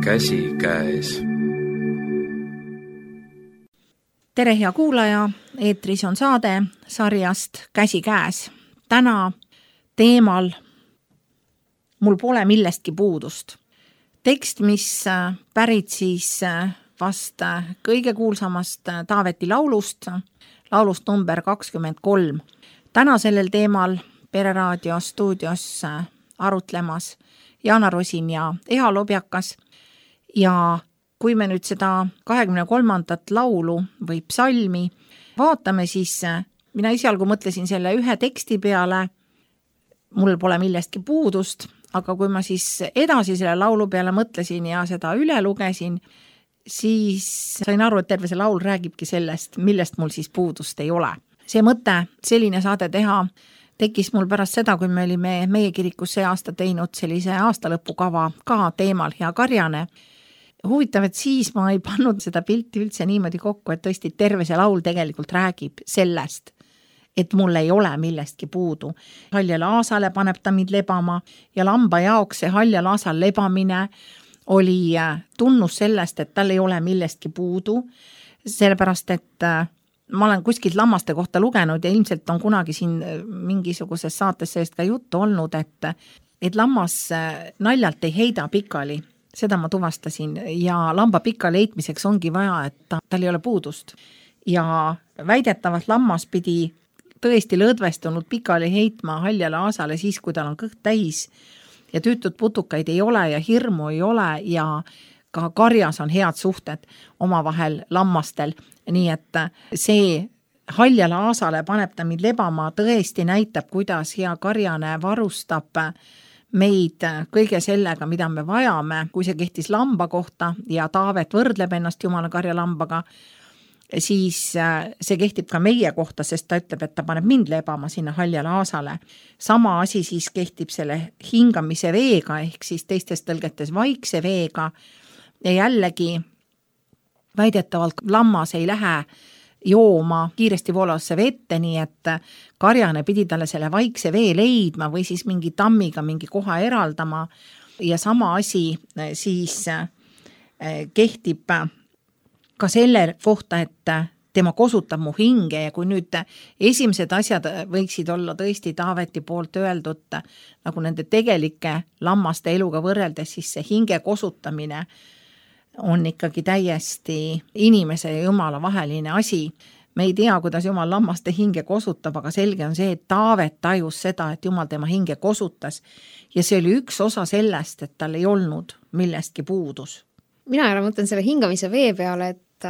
Käsi käes. Tere hea kuulaja, eetris on saade sarjast Käsi käes. Täna teemal Mul pole millestki puudust. Tekst, mis pärit siis vast kõige kuulsamast Taaveti laulust number 23. Täna sellel teemal Pereraadio stuudios arutlemas Jaana Rosin ja Eha Lobjakas. Ja kui me nüüd seda 23. laulu või psalmi vaatame, siis mina esialgu mõtlesin selle ühe teksti peale, mul pole millestki puudust, aga kui ma siis edasi selle laulu peale mõtlesin ja seda üle lugesin, siis sain aru, et terve see laul räägibki sellest, millest mul siis puudust ei ole. See mõte, selline saade teha, tekkis mul pärast seda, kui me olime meie kirikus see aasta teinud sellise aastalõpukava ka teemal Hea Karjane. Huvitav, et siis ma ei pannud seda pilti üldse niimoodi kokku, et tõesti terve see laul tegelikult räägib sellest, et mul ei ole millestki puudu. Haljale aasale paneb ta mind lebama ja lamba jaoks see haljal aasal lebamine oli tunnus sellest, et tal ei ole millestki puudu, sellepärast, et ma olen kuskilt lammaste kohta lugenud ja ilmselt on kunagi siin mingisuguses saates sellest ka juttu olnud, et lammas naljalt ei heida pikali. Seda ma tuvastasin ja lamba pikali heitmiseks ongi vaja, et tal ei ole puudust. Ja väidetavalt lammas pidi tõesti lõdvestunud pikali heitma haljale aasale siis, kui tal on kõht täis ja tüütud putukaid ei ole ja hirmu ei ole ja ka karjas on head suhted omavahel lammastel. Nii et see haljale aasale paneb ta mind lebama tõesti näitab, kuidas hea karjane varustab meid kõige sellega, mida me vajame, kui see kehtis lamba kohta ja Taavet võrdleb ennast Jumala karjalambaga, siis see kehtib ka meie kohta, sest ta ütleb, et ta paneb mind lebama sinna haljale aasale. Sama asi siis kehtib selle hingamise veega, ehk siis teistes tõlgetes vaikse veega ja jällegi väidetavalt lammas ei lähe jooma kiiresti voolavasse vette, nii et karjane pidi talle selle vaikse vee leidma või siis mingi tammiga mingi koha eraldama ja sama asi siis kehtib ka selle kohta, et tema kosutab mu hinge ja kui nüüd esimesed asjad võiksid olla tõesti Taaveti poolt öeldud nagu nende tegelike lammaste eluga võrreldes, siis see hinge kosutamine on ikkagi täiesti inimese ja Jumala vaheline asi. Me ei tea, kuidas Jumal lammaste hinge kosutab, aga selge on see, et Taavet tajus seda, et Jumal tema hinge kosutas ja see oli üks osa sellest, et tal ei olnud millestki puudus. Mina ära mõtlen selle hingamise vee peale, et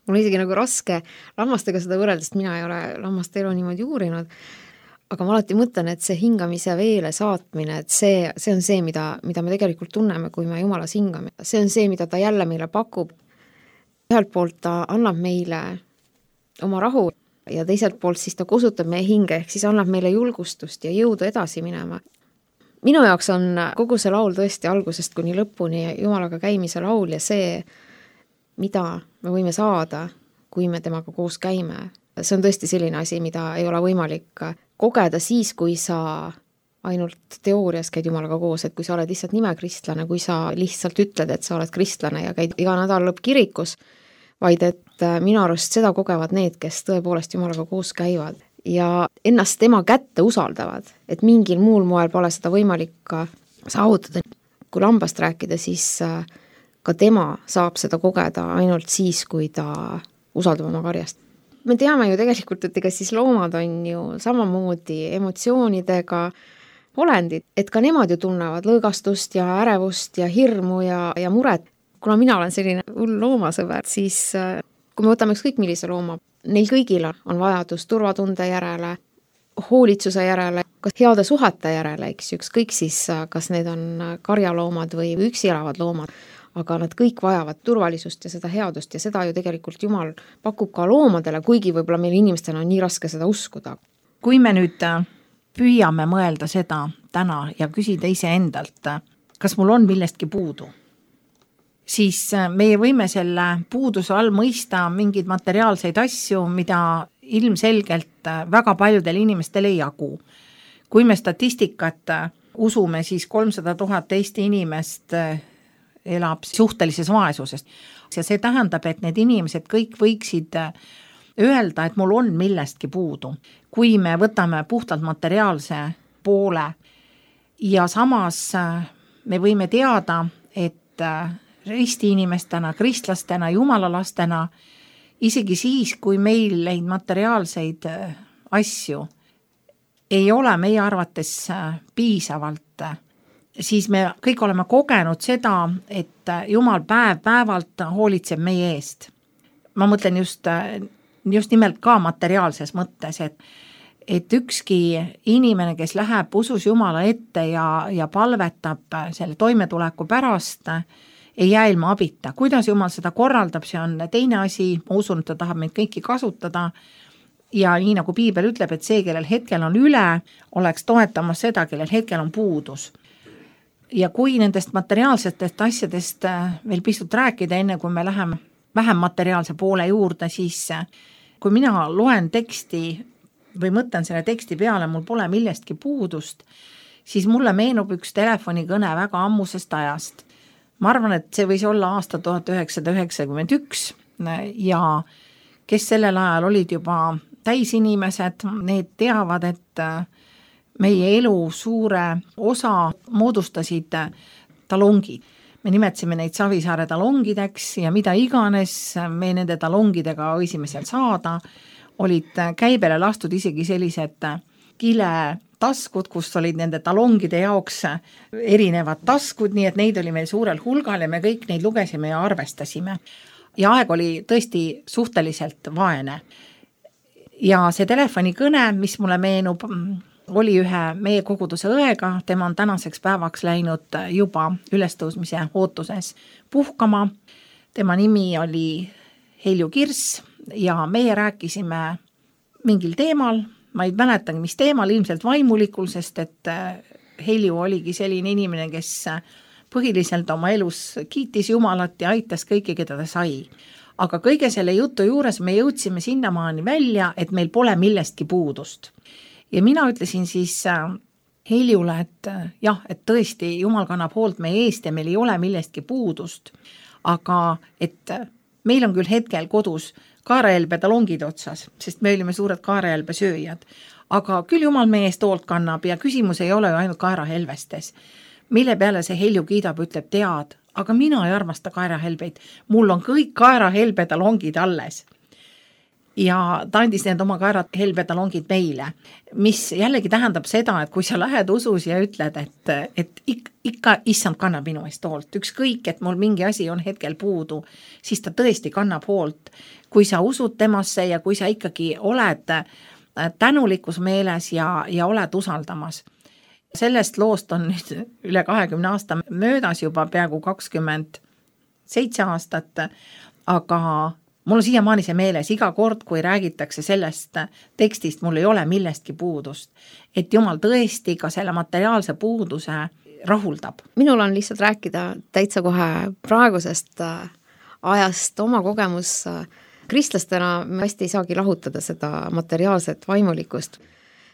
mul on isegi nagu raske lammastega seda võrreldest, mina ei ole lammaste elu niimoodi uurinud, aga ma alati mõtlen, et see hingamise veele saatmine, et see on see, mida me tegelikult tunneme, kui me Jumalas hingame. See on see, mida ta jälle meile pakub. Ühelt poolt ta annab meile oma rahu ja teiselt poolt siis ta kosutab meie hinge, ehk siis annab meile julgustust ja jõudu edasi minema. Minu jaoks on kogu see laul tõesti algusest kuni lõpuni Jumalaga käimise laul ja see, mida me võime saada, kui me temaga koos käime. See on tõesti selline asi, mida ei ole võimalik kogeda siis, kui sa ainult teoorias käid Jumalaga koos, et kui sa oled lihtsalt nimekristlane, kui sa lihtsalt ütled, et sa oled kristlane ja käid iga nädal lõpp kirikus, vaid et minu arust seda kogevad need, kes tõepoolest Jumalaga koos käivad ja ennast tema kätte usaldavad, et mingil muul moel pole seda võimalik saavutada. Kui lambast rääkida, siis ka tema saab seda kogeda ainult siis, kui ta usaldab oma karjast. Me teame ju tegelikult, et ega siis loomad on ju samamoodi emotsioonidega olendid, et ka nemad ju tunnevad lõõgastust ja ärevust ja hirmu ja muret. Kuna mina olen selline hull loomasõber, siis kui me võtame ükskõik millise looma, neil kõigil on vajadus turvatunde järele, hoolitsuse järele, kas heade suhete järele, ükskõik siis, kas need on karjaloomad või üksi elavad loomad. Aga nad kõik vajavad turvalisust ja seda headust ja seda ju tegelikult Jumal pakub ka loomadele, kuigi võib-olla meil inimestena on nii raske seda uskuda. Kui me nüüd püüame mõelda seda täna ja küsida ise endalt, kas mul on millestki puudu, siis meie võime selle puuduse all mõista mingeid materiaalseid asju, mida ilmselgelt väga paljudel inimestel ei jagu. Kui me statistikat usume, siis 300 000 Eesti inimest elab suhtelises vaesuses. Ja see tähendab, et need inimesed kõik võiksid öelda, et mul on millestki puudu. Kui me võtame puhtalt materiaalse poole ja samas me võime teada, et risti inimestena, kristlastena, jumalalastena, isegi siis, kui meil neid materiaalseid asju ei ole meie arvates piisavalt, siis me kõik oleme kogenud seda, et Jumal päev-päevalt hoolitseb meie eest. Ma mõtlen just nimelt ka materiaalses mõttes, et ükski inimene, kes läheb usus Jumala ette ja palvetab selle toimetuleku pärast, ei jää ilma abita. Kuidas Jumal seda korraldab, see on teine asi, ma usun, et ta tahab meid kõiki kasutada ja nii nagu Piibel ütleb, et see, kellel hetkel on üle, oleks toetamas seda, kellel hetkel on puudus. Ja kui nendest materiaalsetest asjadest veel pisut rääkida, enne kui me läheme vähem materiaalse poole juurde, siis kui mina loen teksti või mõtlen selle teksti peale, mul pole millestki puudust, siis mulle meenub üks telefonikõne väga ammusest ajast. Ma arvan, et see võis olla aasta 1991 ja kes sellel ajal olid juba täisinimesed, need teavad, et meie elu suure osa moodustasid talongid. Me nimetasime neid Savisaare talongideks ja mida iganes me nende talongidega võisime seal saada, olid käibele lastud isegi sellised kiletaskud, kus olid nende talongide jaoks erinevad taskud, nii et neid oli meil suurel hulgal ja me kõik neid lugesime ja arvestasime. Ja aeg oli tõesti suhteliselt vaene. Ja see telefonikõne, mis mulle meenub, oli ühe meie koguduse õega, tema on tänaseks päevaks läinud juba ülestõusmise ootuses puhkama. Tema nimi oli Helju Kirss ja meie rääkisime mingil teemal, ma ei mäletagi, mis teemal, ilmselt vaimulikul, sest et Helju oligi selline inimene, kes põhiliselt oma elus kiitis Jumalat ja aitas kõiki, keda ta sai. Aga kõige selle jutu juures me jõudsime sinnamaani välja, et meil pole millestki puudust. Ja mina ütlesin siis Heljule, et jah, et tõesti Jumal kannab hoolt meie eest ja meil ei ole millestki puudust, aga et meil on küll hetkel kodus kaerahelbe talongid otsas, sest me olime suured kaerahelbe sööjad, aga küll Jumal meie eest hoolt kannab ja küsimus ei ole ju ainult kaerahelvestes. Mille peale see Helju kiidab, ütleb, tead, aga mina ei armasta kaerahelbeid, mul on kõik kaerahelbe talongid alles. Ja ta andis need oma kaerahelbetalongid meile, mis jällegi tähendab seda, et kui sa lähed usus ja ütled, et ikka issand kannab minu eest hoolt, ükskõik, et mul mingi asi on hetkel puudu, siis ta tõesti kannab hoolt. Kui sa usud temasse ja kui sa ikkagi oled tänulikus meeles ja oled usaldamas. Sellest loost on nüüd üle 20 aasta möödas juba peaaegu 27 aastat, aga mul on siiamaani see meeles, iga kord, kui räägitakse sellest tekstist, mul ei ole millestki puudust, et Jumal tõesti ka selle materiaalse puuduse rahuldab. Minul on lihtsalt rääkida täitsa kohe praegusest ajast oma kogemus. Kristlastena me hästi ei saagi lahutada seda materiaalset vaimulikust.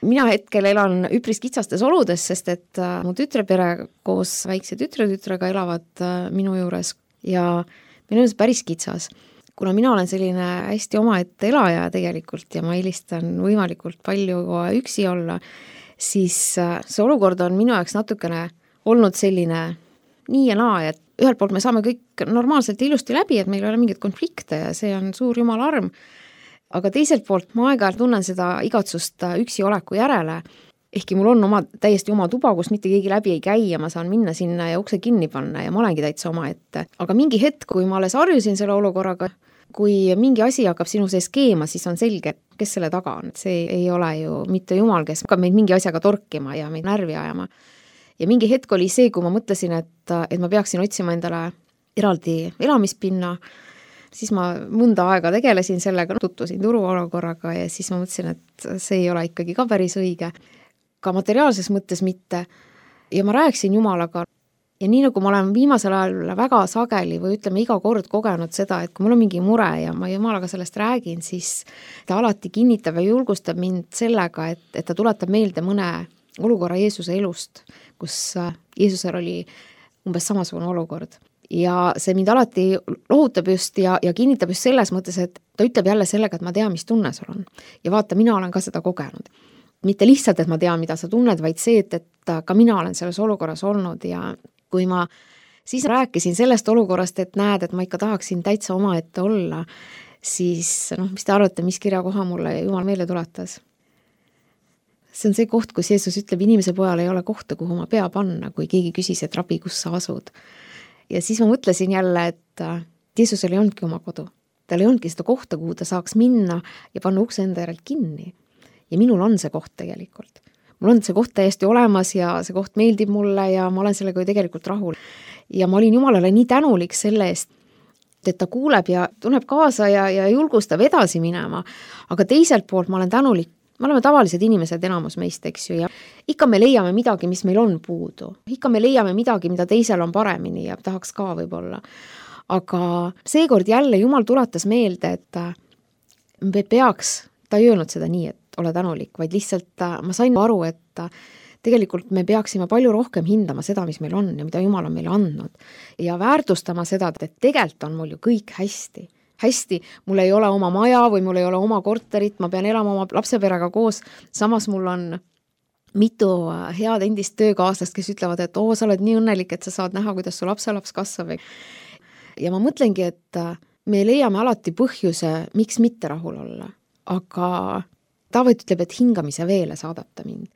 Mina hetkel elan üpris kitsastes oludes, sest et mu tütrepere koos väikse tütrega elavad minu juures ja meil on see päris kitsas. Kuna mina olen selline hästi omaette elaja tegelikult ja ma eelistan võimalikult palju üksi olla, siis see olukord on minu jaoks natukene olnud selline nii ja naa, et ühelt poolt me saame kõik normaalselt ilusti läbi, et meil ei ole mingeid konflikte ja see on suur Jumala arm. Aga teiselt poolt ma aeg-ajalt tunnen seda igatsust üksi oleku järele, ehkki mul on täiesti oma tuba, kus mitte keegi läbi ei käi ja ma saan minna sinna ja ukse kinni panna ja ma olengi täitsa omaette. Aga mingi hetk, kui ma alles harjusin selle olukorraga, kui mingi asi hakkab sinu sees keema, siis on selge, kes selle taga on. See ei ole ju mitte Jumal, kes hakkab meid mingi asjaga torkima ja meid närvi ajama. Ja mingi hetk oli see, kui ma mõtlesin, et ma peaksin otsima endale eraldi elamispinna, siis ma mõnda aega tegelesin sellega, tutvusin turuolukorraga ja siis ma mõtlesin, et see ei ole ikkagi ka päris õige. Ka materiaalses mõttes mitte. Ja ma rääkisin Jumalaga ja nii nagu ma olen viimasel ajal väga sageli või ütleme iga kord kogenud seda, et kui mul on mingi mure ja ma Jumalaga sellest räägin, siis ta alati kinnitab ja julgustab mind sellega, et ta tuletab meelde mõne olukorra Jeesuse elust, kus Jeesusel oli umbes samasugune olukord. Ja see mind alati lohutab just ja kinnitab just selles mõttes, et ta ütleb jälle sellega, et ma tean, mis tunne sul on. Ja vaata, mina olen ka seda kogenud. Mitte lihtsalt, et ma tean, mida sa tunned, vaid see, et ka mina olen selles olukorras olnud ja kui ma siis rääkisin sellest olukorrast, et näed, et ma ikka tahaksin täitsa omaette olla, siis mis te arvate, mis kirjakoha mulle Jumal meelde tuletas? See on see koht, kus Jeesus ütleb, inimese pojal ei ole kohta, kuhu ma pea panna, kui keegi küsis, et rabi, kus sa asud. Ja siis ma mõtlesin jälle, et Jeesusel ei olnudki oma kodu. Tal ei olnudki seda kohta, kuhu ta saaks minna ja panna ukse enda järelt kinni. Ja minul on see koht tegelikult. Mul on see koht täiesti olemas ja see koht meeldib mulle ja ma olen sellega ju tegelikult rahul. Ja ma olin Jumalale nii tänulik selle eest, et ta kuuleb ja tunneb kaasa ja julgustab edasi minema. Aga teiselt poolt ma olen tänulik. Me oleme tavalised inimesed enamus meist, eks ju, ja ikka me leiame midagi, mis meil on puudu. Ikka me leiame midagi, mida teisel on paremini ja tahaks ka võib-olla. Aga seekord jälle Jumal tuletas meelde, et me peaks, ta ei öelnud seda nii, et ole tänulik, vaid lihtsalt ma sain aru, et tegelikult me peaksime palju rohkem hindama seda, mis meil on ja mida Jumal on meile andnud. Ja väärtustama seda, et tegelikult on mul ju kõik hästi. Hästi, mul ei ole oma maja või mul ei ole oma korterit, ma pean elama oma lapseperega koos, samas mul on mitu head endist töökaaslast, kes ütlevad, et sa oled nii õnnelik, et sa saad näha, kuidas su lapselaps kasvab. Ja ma mõtlengi, et me leiame alati põhjuse, miks mitte rahul olla, aga Taavet ütleb, et hingamise veele saadab ta mind.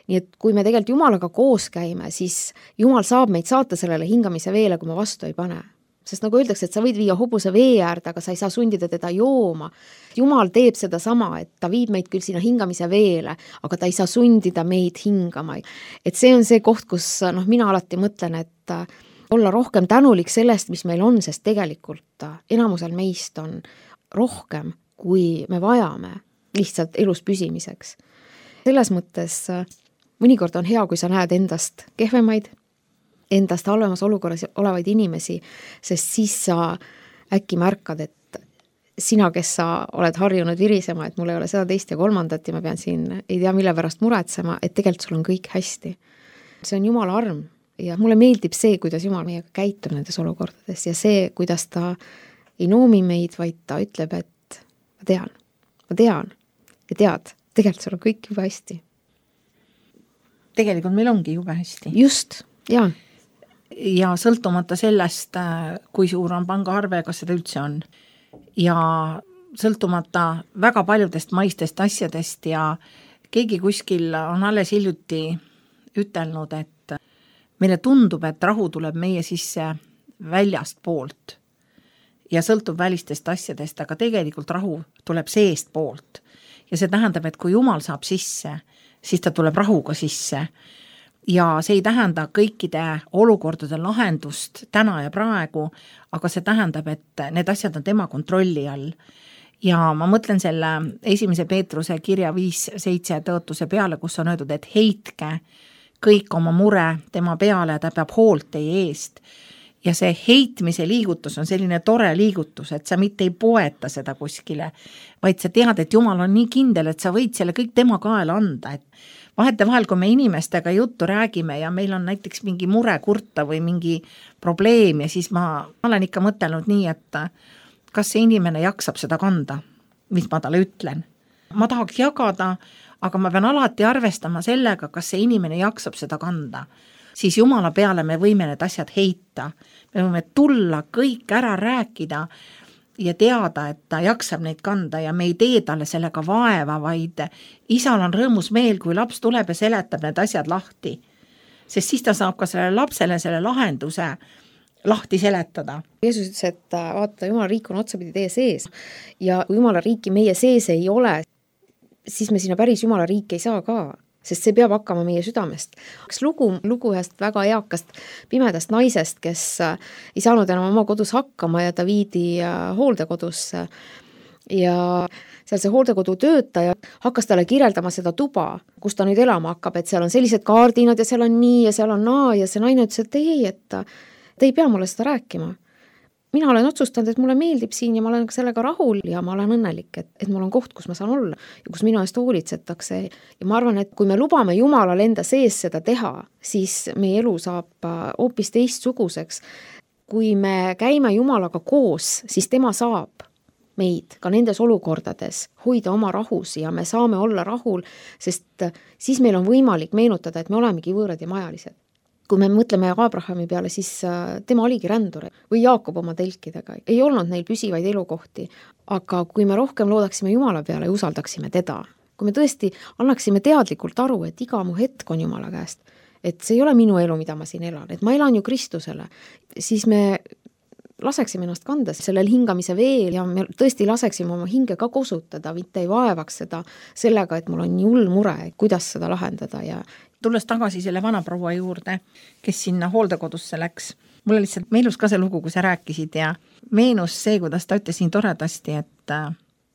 Nii et kui me tegelikult Jumalaga koos käime, siis Jumal saab meid saata sellele hingamise veele, kui ma vastu ei pane. Sest nagu öeldakse, et sa võid viia hobuse vee äärde, aga sa ei saa sundida teda jooma. Jumal teeb seda sama, et ta viib meid küll sinna hingamise veele, aga ta ei saa sundida meid hingama. Et see on see koht, kus mina alati mõtlen, et olla rohkem tänulik sellest, mis meil on, sest tegelikult enamusel meist on rohkem, kui me vajame lihtsalt elus püsimiseks. Selles mõttes mõnikord on hea, kui sa näed endast kehvemaid, endast halvemas olukorras olevaid inimesi, sest siis sa äkki märkad, et sina, kes sa oled harjunud virisema, et mul ei ole seda teist ja kolmandat ja ma pean siin ei tea mille pärast muretsema, et tegelikult sul on kõik hästi. See on Jumala arm ja mulle meeldib see, kuidas Jumal meiega käitub nendes olukordades ja see, kuidas ta ei noomi meid, vaid ta ütleb, et ma tean ja tead, tegelikult sul on kõik juba hästi. Tegelikult meil ongi juba hästi. Just, jaa. Ja sõltumata sellest, kui suur on pangaarve, kas seda üldse on. Ja sõltumata väga paljudest maistest asjadest ja keegi kuskil on alles hiljuti ütelnud, et meile tundub, et rahu tuleb meie sisse väljast poolt ja sõltub välistest asjadest, aga tegelikult rahu tuleb seest poolt. Ja see tähendab, et kui Jumal saab sisse, siis ta tuleb rahuga sisse. Ja see ei tähenda kõikide olukordade lahendust täna ja praegu, aga see tähendab, et need asjad on tema kontrolli all. Ja ma mõtlen selle 1. Peetruse kirja 5:7 tõotuse peale, kus on öeldud, et heitke kõik oma mure tema peale, ta peab hoolt teie eest. Ja see heitmise liigutus on selline tore liigutus, et sa mitte ei poeta seda kuskile, vaid sa tead, et Jumal on nii kindel, et sa võid selle kõik tema kaela anda, et vahetevahel, kui me inimestega juttu räägime ja meil on näiteks mingi mure kurta või mingi probleem ja siis ma olen ikka mõtelnud nii, et kas see inimene jaksab seda kanda, mis ma talle ütlen. Ma tahaks jagada, aga ma pean alati arvestama sellega, kas see inimene jaksab seda kanda. Siis Jumala peale me võime need asjad heita. Me võime tulla kõik ära rääkida ja teada, et ta jaksab neid kanda ja me ei tee talle sellega vaeva, vaid isal on rõõmus meel, kui laps tuleb ja seletab need asjad lahti. Sest siis ta saab ka sellele lapsele selle lahenduse lahti seletada. Jeesus ütles, et vaata, Jumala riik on otsapidi teie sees ja kui Jumala riiki meie sees ei ole, siis me sinna päris Jumala riiki ei saa ka. Sest see peab hakkama meie südamest. Üks lugu ühest väga eakast pimedast naisest, kes ei saanud enam oma kodus hakkama ja ta viidi hooldekodusse. Ja seal see hooldekodu töötaja hakkas talle kirjeldama seda tuba, kus ta nüüd elama hakkab, et seal on sellised kaardinad ja seal on nii ja seal on naa ja see naine ütles, et ei, et te ei pea mulle seda rääkima. mina olen otsustanud, et mulle meeldib siin ja ma olen sellega rahul ja ma olen õnnelik, et mul on koht, kus ma saan olla ja kus minu eest hoolitsetakse. Ja ma arvan, et kui me lubame Jumalal enda sees seda teha, siis meie elu saab hoopis teistsuguseks. Kui me käime Jumalaga koos, siis tema saab meid ka nendes olukordades hoida oma rahus ja me saame olla rahul, sest siis meil on võimalik meenutada, et me olemegi võõrad ja majalised. Kui me mõtleme Abrahami peale, siis tema oligi rändur või Jaakob oma telkidega. Ei olnud neil püsivaid elukohti, aga kui me rohkem loodaksime Jumala peale ja usaldaksime teda, kui me tõesti annaksime teadlikult aru, et iga mu hetk on Jumala käest, et see ei ole minu elu, mida ma siin elan, et ma elan ju Kristusele, siis me laseksime ennast kanda sellel hingamise veel ja me tõesti laseksime oma hinge ka kosutada, mitte ei vaevaks seda sellega, et mul on nii hull mure, kuidas seda lahendada. Ja tulles tagasi selle vanaproua juurde, kes sinna hooldekodusse läks, mulle lihtsalt meenus ka see lugu, kui sa rääkisid ja meenus see, kuidas ta ütles nii toredasti, et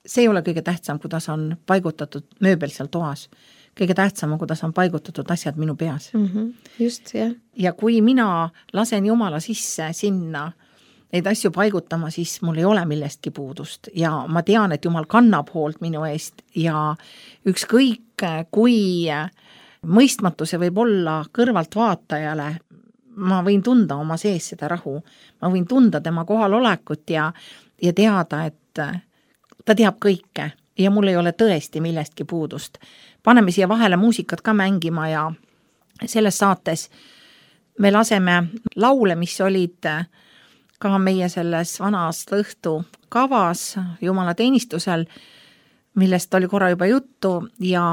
see ei ole kõige tähtsam, kuidas on paigutatud mööbel seal toas. Kõige tähtsam on, kuidas on paigutatud asjad minu peas. Just, jah. Ja kui mina lasen Jumala sisse sinna neid asju paigutama, siis mul ei ole millestki puudust ja ma tean, et Jumal kannab hoolt minu eest ja ükskõik kui mõistmatu see võib olla kõrvalt vaatajale, ma võin tunda oma sees seda rahu, ma võin tunda tema kohalolekut ja teada, et ta teab kõike ja mul ei ole tõesti millestki puudust. Paneme siia vahele muusikat ka mängima ja selles saates me laseme laule, mis olid ka meie selles vanas lõhtu kavas Jumala teenistusel, millest oli korra juba juttu ja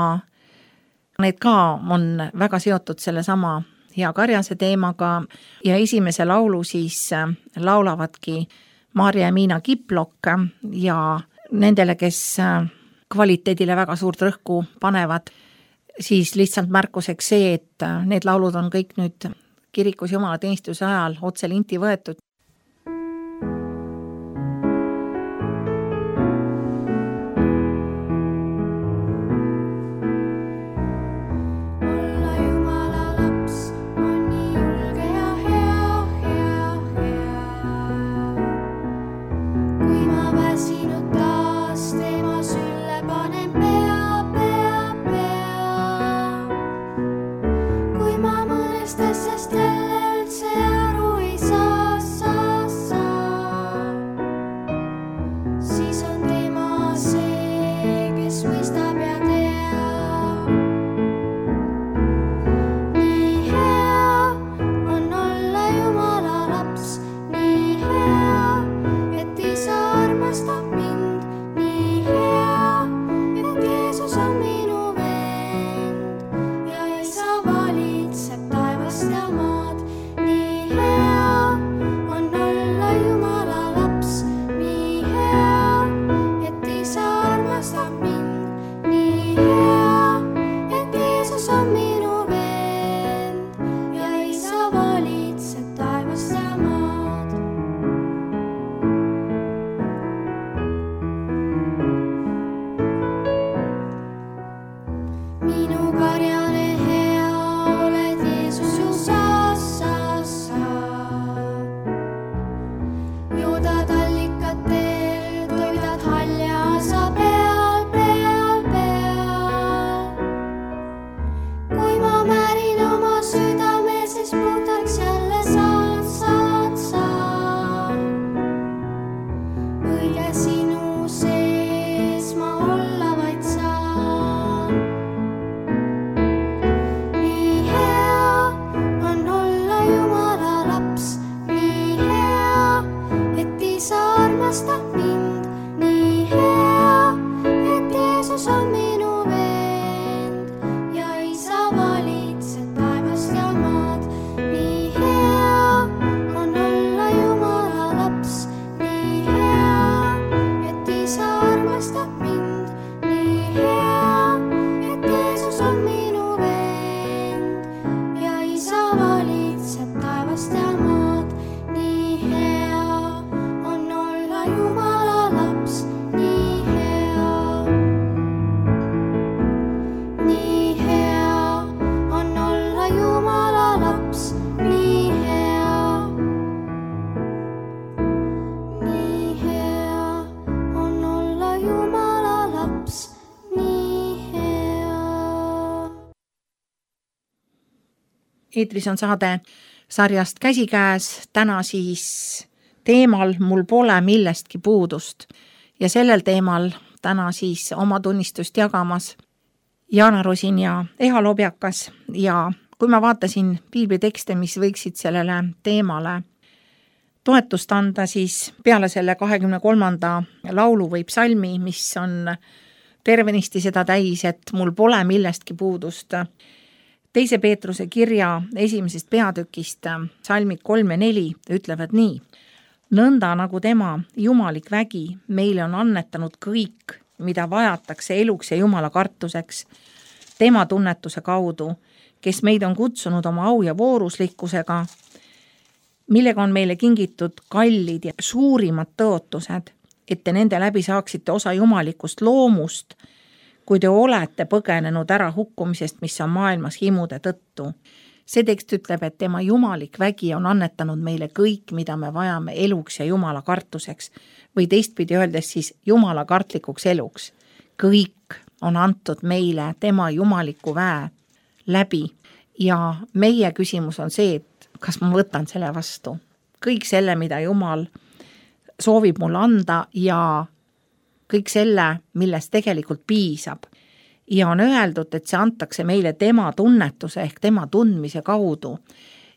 need ka on väga seotud selle sama Hea Karjase teemaga ja esimese laulu siis laulavadki Maarja ja Miina Kiplok ja nendele, kes kvaliteedile väga suurt rõhku panevad, siis lihtsalt märkuseks see, et need laulud on kõik nüüd kirikus Jumala teenistuse ajal otse linti võetud. eetris on saade sarjast Käsikäes, täna siis teemal Mul pole millestki puudust ja sellel teemal täna siis oma tunnistust jagamas Jaana Rosin ja Eha Lobjakas ja kui ma vaatasin piiblitekste, mis võiksid sellele teemale toetust anda, siis peale selle 23. laulu või psalmi, mis on tervenisti seda täis, et mul pole millestki puudust. 2. Peetruse kirja 1. peatükist psalmid 3 ja 4 ütlevad nii. Nõnda nagu tema jumalik vägi meile on annetanud kõik, mida vajatakse eluks ja jumala kartuseks, tema tunnetuse kaudu, kes meid on kutsunud oma au ja vooruslikkusega, millega on meile kingitud kallid ja suurimad tõotused, et te nende läbi saaksite osa jumalikust loomust, kui te olete põgenenud ära hukkumisest, mis on maailmas himude tõttu. See tekst ütleb, et tema jumalik vägi on annetanud meile kõik, mida me vajame eluks ja jumala kartuseks või teistpidi öeldes siis jumala kartlikuks eluks. Kõik on antud meile tema jumaliku väe läbi ja meie küsimus on see, et kas ma võtan selle vastu. Kõik selle, mida Jumal soovib mulle anda ja kõik selle, millest tegelikult piisab. Ja on öeldud, et see antakse meile tema tunnetuse ehk tema tundmise kaudu.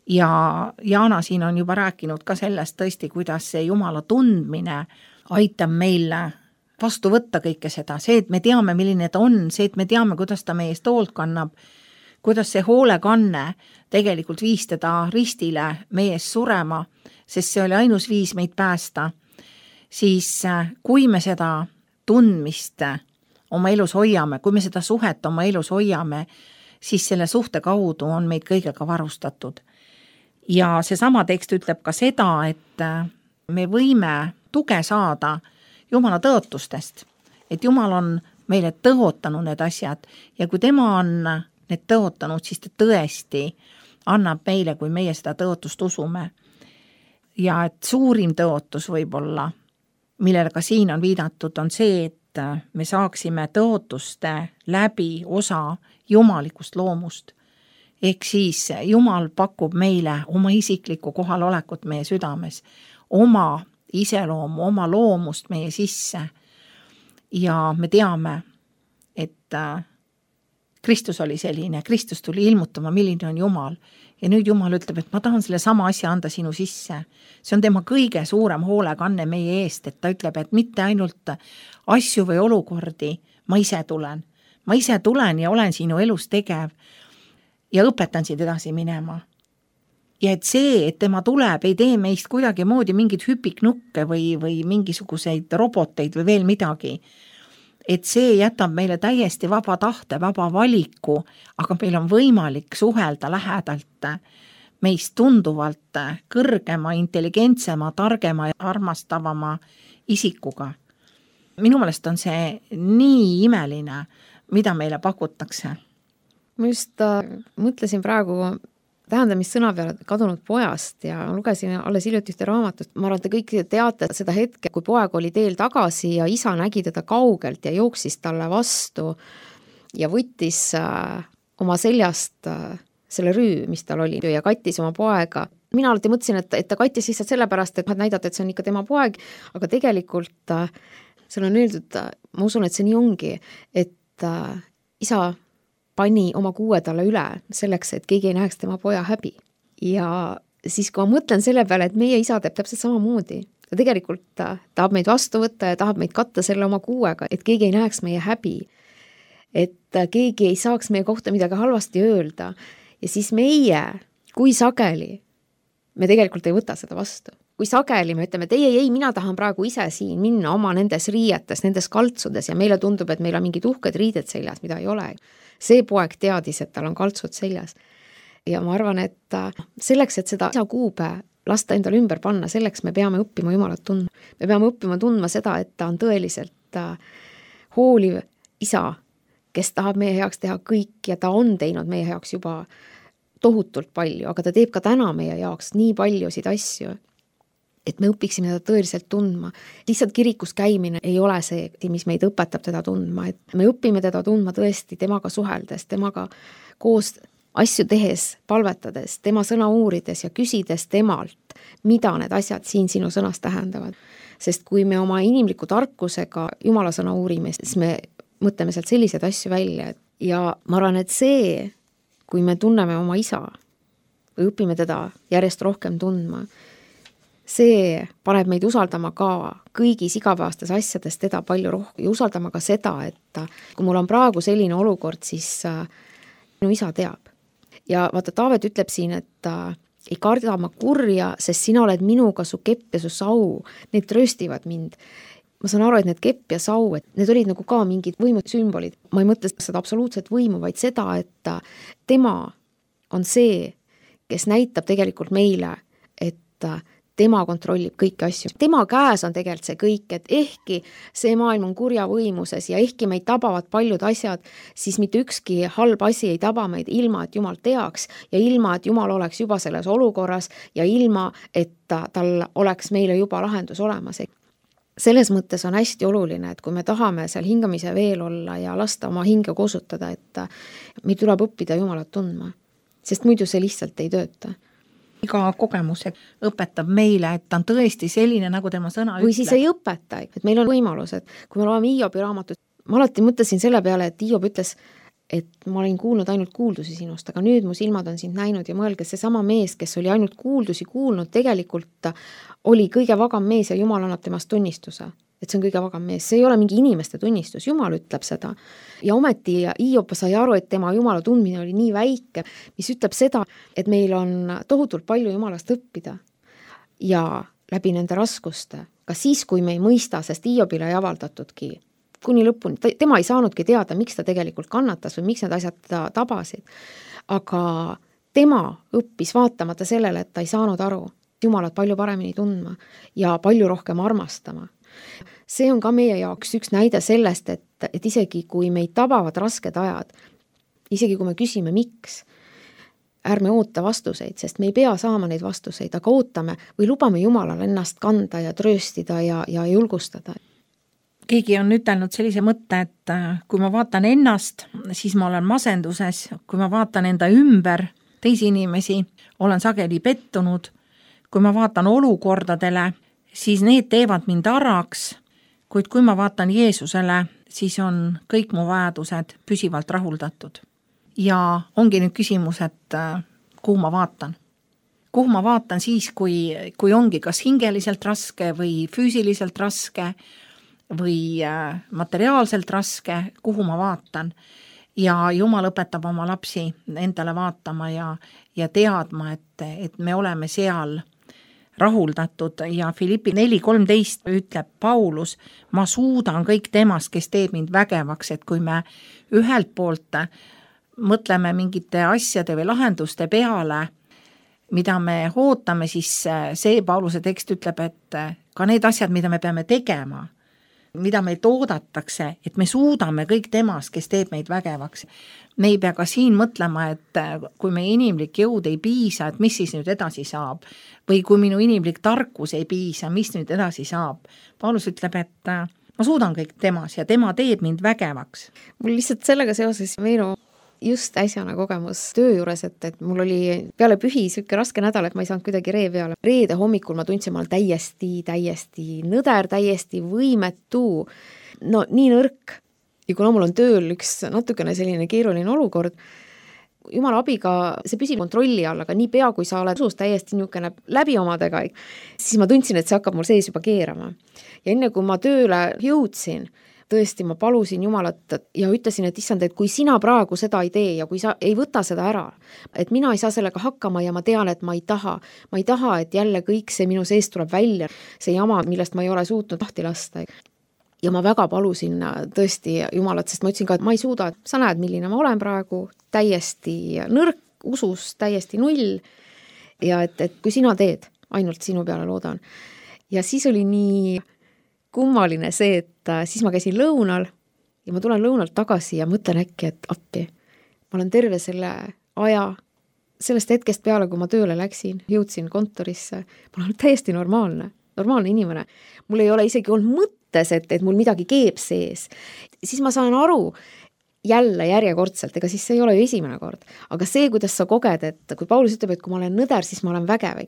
Ja Jaana siin on juba rääkinud ka sellest tõesti, kuidas see Jumala tundmine aitab meile vastu võtta kõike seda. See, et me teame, milline ta on, see, et me teame, kuidas ta meie eest hoolt kannab, kuidas see hoolekanne tegelikult viis teda ristile meie ees surema, sest see oli ainus viis meid päästa, siis kui me seda tundmist oma elus hoiame, kui me seda suhet oma elus hoiame, siis selle suhte kaudu on meid kõigega varustatud. Ja seesama tekst ütleb ka seda, et me võime tuge saada Jumala tõotustest, et Jumal on meile tõotanud need asjad ja kui tema on need tõotanud, siis ta tõesti annab meile, kui meie seda tõotust usume. Ja et suurim tõotus võib-olla, millele ka siin on viidatud, on see, et me saaksime tõotuste läbi osa jumalikust loomust. Ehk siis Jumal pakub meile oma isiklikku kohalolekut meie südames, oma iseloomu, oma loomust meie sisse. Ja me teame, et Kristus oli selline, Kristus tuli ilmutama, milline on Jumal. Ja nüüd Jumal ütleb, et ma tahan selle sama asja anda sinu sisse. See on tema kõige suurem hoolekanne meie eest, et ta ütleb, et mitte ainult asju või olukordi, ma ise tulen. Ma ise tulen ja olen sinu elus tegev ja õpetan sind edasi minema. Ja et see, et tema tuleb, ei tee meist kuidagi moodi mingid hüpiknukke või mingisuguseid roboteid või veel midagi. Et see jätab meile täiesti vaba tahte, vaba valiku, aga meil on võimalik suhelda lähedalt meist tunduvalt kõrgema, intelligentsema, targema ja armastavama isikuga. Minu meelest on see nii imeline, mida meile pakutakse. Ma just mõtlesin praegu tähendamissõna peale kadunud pojast ja lugesin alles hiljuti ühte raamatut. Ma arvan, et te kõik teate seda hetke, kui poeg oli teel tagasi ja isa nägi teda kaugelt ja jooksis talle vastu ja võttis oma seljast selle rüü, mis tal oli ja kattis oma poega. Mina alati mõtlesin, et ta kattis lihtsalt sellepärast, et näidata, et see on ikka tema poeg, aga tegelikult seal on öeldud, ma usun, et see nii ongi, et isa pani oma kuue talle üle selleks, et keegi ei näeks tema poja häbi. Ja siis, kui ma mõtlen selle peale, et meie isa teeb täpselt samamoodi, ta tegelikult tahab meid vastu võtta ja tahab meid katta selle oma kuuega, et keegi ei näeks meie häbi, et keegi ei saaks meie kohta midagi halvasti öelda. Ja siis meie, kui sageli, me tegelikult ei võta seda vastu. Kui sageli me ütleme, et ei, mina tahan praegu ise siin minna oma nendes riietes, nendes kaltsudes ja meile tundub, et meil on mingid uhked riided seljas, mida ei ole. See poeg teadis, et tal on kaltsud seljas. Ja ma arvan, et selleks, et seda isa kuube lasta endale ümber panna, selleks me peame õppima Jumalat tundma. Me peame õppima tundma seda, et ta on tõeliselt hooliv isa, kes tahab meie heaks teha kõik ja ta on teinud meie heaks juba tohutult palju, aga ta teeb ka täna meie jaoks nii paljusid asju, et me õpiksime teda tõeliselt tundma. Lihtsalt kirikus käimine ei ole see, mis meid õpetab teda tundma, et me õpime teda tundma tõesti temaga suheldes, temaga koos asju tehes, palvetades, tema sõna uurides ja küsides temalt, mida need asjad siin sinu sõnas tähendavad. Sest kui me oma inimliku tarkusega Jumala sõna uurime, siis me mõtleme sealt selliseid asju välja. Ja ma arvan, et see, kui me tunneme oma isa või õpime teda järjest rohkem tundma, see paneb meid usaldama ka kõigis igapäevastes asjades teda palju rohkem ja usaldama ka seda, et kui mul on praegu selline olukord, siis minu isa teab. Ja vaata, Taavet ütleb siin, et ei karda ma kurja, sest sina oled minuga, su kepp ja su sau, need trööstivad mind. Ma saan aru, et need kepp ja sau, et need olid nagu ka mingid võimud sümbolid. Ma ei mõtle seda absoluutset võimu, vaid seda, et tema on see, kes näitab tegelikult meile, et tema kontrollib kõiki asju. Tema käes on tegelikult see kõik, et ehkki see maailm on kurja võimuses ja ehkki meid tabavad paljud asjad, siis mitte ükski halb asi ei taba meid ilma, et Jumal teaks ja ilma, et Jumal oleks juba selles olukorras ja ilma, et tal oleks meile juba lahendus olemas. Selles mõttes on hästi oluline, et kui me tahame seal hingamise veel olla ja lasta oma hinge kosutada, et meil tuleb õppida Jumalat tundma, sest muidu see lihtsalt ei tööta. Iga kogemus õpetab meile, et ta on tõesti selline, nagu tema sõna ütleb. Või siis ei õpeta, et meil on võimalus, et kui me loeme Hiobi raamatut, ma alati mõtlesin selle peale, et Hiob ütles, et ma olin kuulnud ainult kuuldusi sinust, aga nüüd mu silmad on sind näinud ja mõelge, see sama mees, kes oli ainult kuuldusi kuulnud, tegelikult oli kõige vagam mees ja Jumal annab temast tunnistuse, et see on kõige vagam mees. See ei ole mingi inimeste tunnistus, Jumal ütleb seda. Ja ometi Hiob sai aru, et tema Jumala tundmine oli nii väike, mis ütleb seda, et meil on tohutult palju Jumalast õppida ja läbi nende raskuste, ka siis, kui me ei mõista, sest Hiobile ei avaldatudki kuni lõpuni, tema ei saanudki teada, miks ta tegelikult kannatas või miks need asjad ta tabasid. Aga tema õppis vaatamata sellele, et ta ei saanud aru Jumalat palju paremini tundma ja palju rohkem armastama. See on ka meie jaoks üks näide sellest, et isegi kui meid tabavad rasked ajad, isegi kui me küsime miks, ärme oota vastuseid, sest me ei pea saama neid vastuseid, aga ootame või lubame Jumalal ennast kanda ja trööstida ja julgustada. Keegi on ütelnud sellise mõtte, et kui ma vaatan ennast, siis ma olen masenduses, kui ma vaatan enda ümber teisi inimesi, olen sageli pettunud, kui ma vaatan olukordadele, siis need teevad mind araks, kuid kui ma vaatan Jeesusele, siis on kõik mu vajadused püsivalt rahuldatud. Ja ongi nüüd küsimus, et kuhu ma vaatan. Kuhu ma vaatan siis, kui ongi kas hingeliselt raske või füüsiliselt raske, või materiaalselt raske, kuhu ma vaatan. Ja Jumal õpetab oma lapsi endale vaatama ja teadma, et me oleme seal rahuldatud ja Filippi 4:13 ütleb Paulus, ma suudan kõik temast, kes teeb mind vägevaks, et kui me ühelt poolt mõtleme mingite asjade või lahenduste peale, mida me ootame, siis see Pauluse tekst ütleb, et ka need asjad, mida me peame tegema, mida meid oodatakse, et me suudame kõik temast, kes teeb meid vägevaks. Me ei pea ka siin mõtlema, et kui meie inimlik jõud ei piisa, et mis siis nüüd edasi saab. Või kui minu inimlik tarkus ei piisa, mis nüüd edasi saab. Paulus ütleb, et ma suudan kõik temas ja tema teeb mind vägevaks. Mul lihtsalt sellega seoses meenu just äsjane kogemus töö juures, et mul oli peale pühi selline raske nädal, et ma ei saanud kuidagi ree peale. Reede hommikul ma tundsin, ma olen täiesti nõder, täiesti võimetu, no nii nõrk. Ja kuna mul on tööl üks natukene selline keeruline olukord, Jumala abiga see püsib kontrolli all, aga nii pea, kui sa oled usus täiesti niisugune läbi omadega, siis ma tundsin, et see hakkab mul sees juba keerama. Ja enne kui ma tööle jõudsin, tõesti, ma palusin Jumalat ja ütlesin, et issand, et kui sina praegu seda ei tee ja kui sa ei võta seda ära, et mina ei saa sellega hakkama ja ma tean, et ma ei taha, et jälle kõik see minu sees tuleb välja, see jama, millest ma ei ole suutnud lahti lasta. Ja ma väga palusin tõesti Jumalat, sest ma ütlesin ka, et ma ei suuda, sa näed, milline ma olen praegu, täiesti nõrk, usus täiesti null ja et kui sina teed, ainult sinu peale loodan. Ja siis oli nii kummaline see, et siis ma käisin lõunal ja ma tulen lõunalt tagasi ja mõtlen äkki, et appi. Ma olen terve selle aja, sellest hetkest peale, kui ma tööle läksin, jõudsin kontorisse, ma olen täiesti normaalne inimene. Mul ei ole isegi olnud mõttes, et mul midagi keeb sees. Siis ma saan aru, jälle järjekordselt, ega siis see ei ole ju esimene kord. Aga see, kuidas sa koged, et kui Paulus ütleb, et kui ma olen nõder, siis ma olen vägev.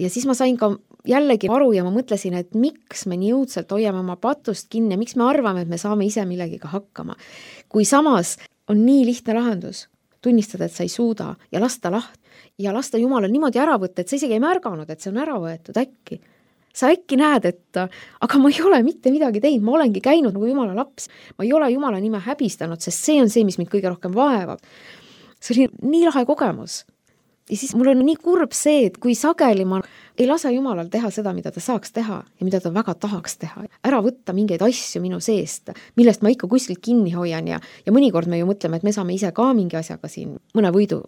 Ja siis ma sain ka jällegi aru ja ma mõtlesin, et miks me nii õudselt hoiame oma patust kinni ja miks me arvame, et me saame ise millegiga hakkama. Kui samas on nii lihtne lahendus, tunnistada, et sa ei suuda ja lasta ja lasta Jumalal niimoodi ära võtta, et sa isegi ei märganud, et see on ära võetud äkki. Sa äkki näed, et aga ma ei ole mitte midagi teinud, ma olengi käinud nagu Jumala laps. Ma ei ole Jumala nime häbistanud, sest see on see, mis mind kõige rohkem vaevab. See oli nii lahe kogemus. Ja siis mul on nii kurb see, et kui sageli ma ei lase Jumalal teha seda, mida ta saaks teha ja mida ta väga tahaks teha. Ära võtta mingeid asju minu seest, millest ma ikka kuskilt kinni hoian ja mõnikord me ju mõtleme, et me saame ise ka mingi asjaga siin mõne võidu.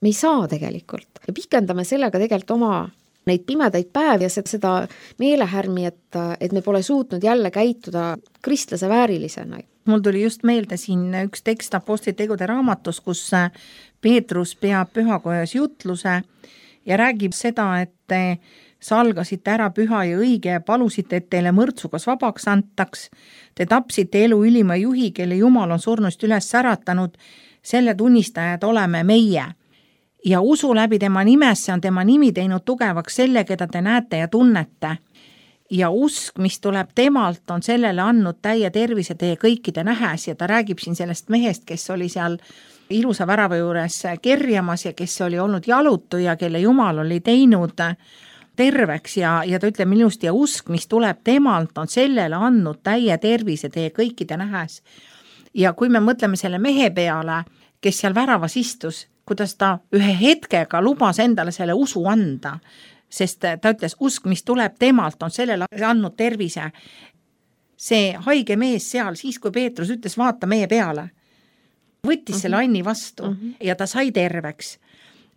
Me ei saa tegelikult. Ja pikendame sellega tegelikult oma neid pimedaid päevi ja seda meelehärmi, et me pole suutnud jälle käituda kristlase väärilisena. Mul tuli just meelde siin üks tekst Apostlite tegude raamatus, kus Peetrus peab pühakojas jutluse ja räägib seda, et te salgasite ära püha ja õige ja palusite, et teile mõrtsugas vabaks antaks. Te tapsite elu ülima juhi, kelle Jumal on surnust üles säratanud. Selle tunnistajad oleme meie. Ja usu läbi tema nimesse on tema nimi teinud tugevaks selle, keda te näete ja tunnete. Ja usk, mis tuleb temalt, on sellele andnud täie tervise teie kõikide nähes ja ta räägib siin sellest mehest, kes oli seal ilusa värava juures kerjamas ja kes oli olnud jalutu ja kelle Jumal oli teinud terveks ja ta ütleb ilusti ja usk, mis tuleb temalt, on sellele andnud täie tervise teie kõikide nähes. Ja kui me mõtleme selle mehe peale, kes seal väravas istus, kuidas ta ühe hetkega lubas endale selle usu anda, sest ta ütles, usk, mis tuleb temalt, on sellele andnud tervise. See haige mees seal, siis kui Peetrus ütles, vaata meie peale, võttis selle anni vastu ja ta sai terveks.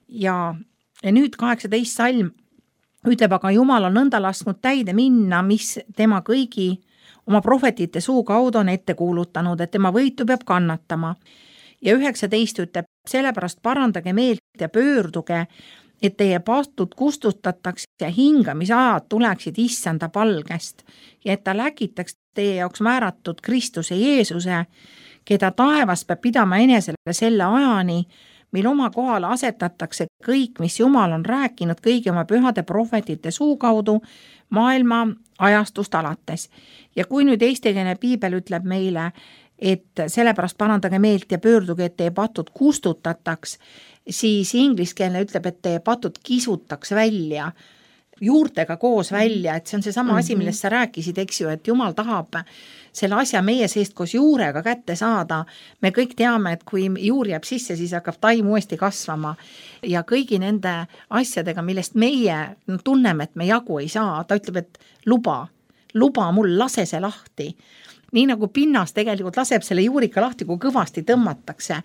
Ja nüüd 18 salm ütleb, aga Jumal on nõnda lasknud täide minna, mis tema kõigi oma prohvetite suu kaudu on ette kuulutanud, et tema võitu peab kannatama. Ja 19 ütleb, sellepärast parandage meelt ja pöörduge, et teie pastud kustutatakse ja hingamisajad tuleksid issanda palgest ja et ta läkitaks teie jaoks määratud Kristuse Jeesuse, keda taevas peab pidama enesele selle ajani, mil oma kohale asetatakse kõik, mis Jumal on rääkinud kõigi oma pühade prohvetite suu kaudu maailma ajastust alates. Ja kui nüüd eestikeelne piibel ütleb meile, et sellepärast parandage meelt ja pöörduge, et teie patud kustutataks, siis ingliskeelne ütleb, et teie patud kisutaks välja, juurtega koos välja, et see on see sama asi, millest sa rääkisid, eks ju, et Jumal tahab selle asja meie seest koos juurega kätte saada. Me kõik teame, et kui juur jääb sisse, siis hakkab taim uuesti kasvama ja kõigi nende asjadega, millest meie tunneme, et me jagu ei saa, ta ütleb, et luba mul, lase see lahti. Nii nagu pinnas tegelikult laseb selle juurika lahti, kui kõvasti tõmmatakse.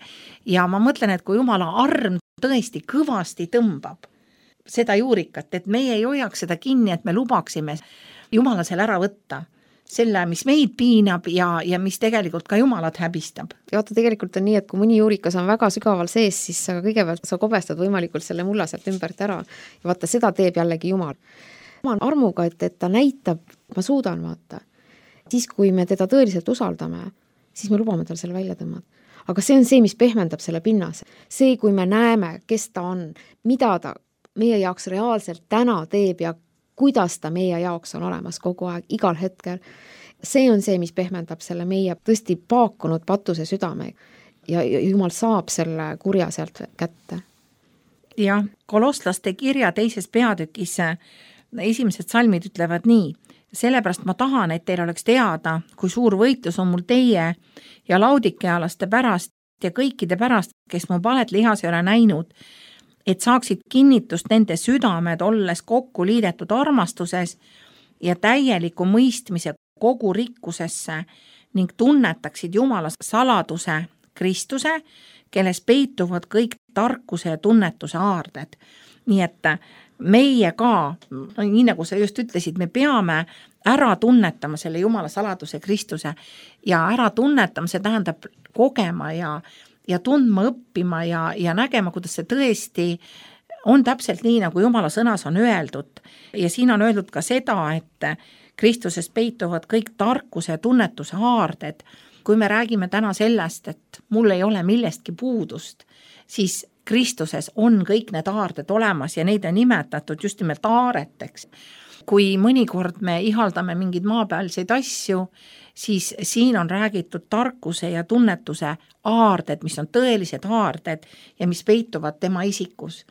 Ja ma mõtlen, et kui Jumala arm tõesti kõvasti tõmbab seda juurikat, et meie ei hoiaks seda kinni, et me lubaksime Jumala selle ära võtta. Selle, mis meid piinab ja mis tegelikult ka Jumalat häbistab. Ja vaata, tegelikult on nii, et kui mõni juurikas on väga sügaval sees, siis sa kõigepealt sa kobestad võimalikult selle mulla sealt ümbert ära. Ja vaata, seda teeb jällegi Jumal. Jumal armuga, et ta näitab, ma suudan vaata. Siis, kui me teda tõeliselt usaldame, siis me lubame tal selle välja tõmmata. Aga see on see, mis pehmendab selle pinnas. See, kui me näeme, kes ta on, mida ta meie jaoks reaalselt täna teeb ja kuidas ta meie jaoks on olemas kogu aeg, igal hetkel. See on see, mis pehmendab selle meie tõesti paakunud patuse südame ja Jumal saab selle kurja sealt kätte. Ja Kolosslaste kirja 2. peatükis esimesed salmid ütlevad nii. Sellepärast ma tahan, et teil oleks teada, kui suur võitlus on mul teie ja laudikealaste pärast ja kõikide pärast, kes mu palet lihas ei ole näinud, et saaksid kinnitust nende südamed, olles kokku liidetud armastuses ja täieliku mõistmise kogu rikkusesse ning tunnetaksid Jumala saladuse Kristuse, kelles peituvad kõik tarkuse ja tunnetuse aarded. Nii et meie ka, nii nagu sa just ütlesid, me peame ära tunnetama selle Jumala saladuse Kristuse ja ära tunnetama, see tähendab kogema ja tundma, õppima ja nägema, kuidas see tõesti on täpselt nii, nagu Jumala sõnas on öeldud. Ja siin on öeldud ka seda, et Kristuses peituvad kõik tarkuse ja tunnetuse aarded kui me räägime täna sellest, et mul ei ole millestki puudust, siis Kristuses on kõik need aarded olemas ja neid on nimetatud just nimelt aareteks. Kui mõnikord me ihaldame mingeid maapealseid asju, siis siin on räägitud tarkuse ja tunnetuse aarded, mis on tõelised aarded ja mis peituvad tema isikus.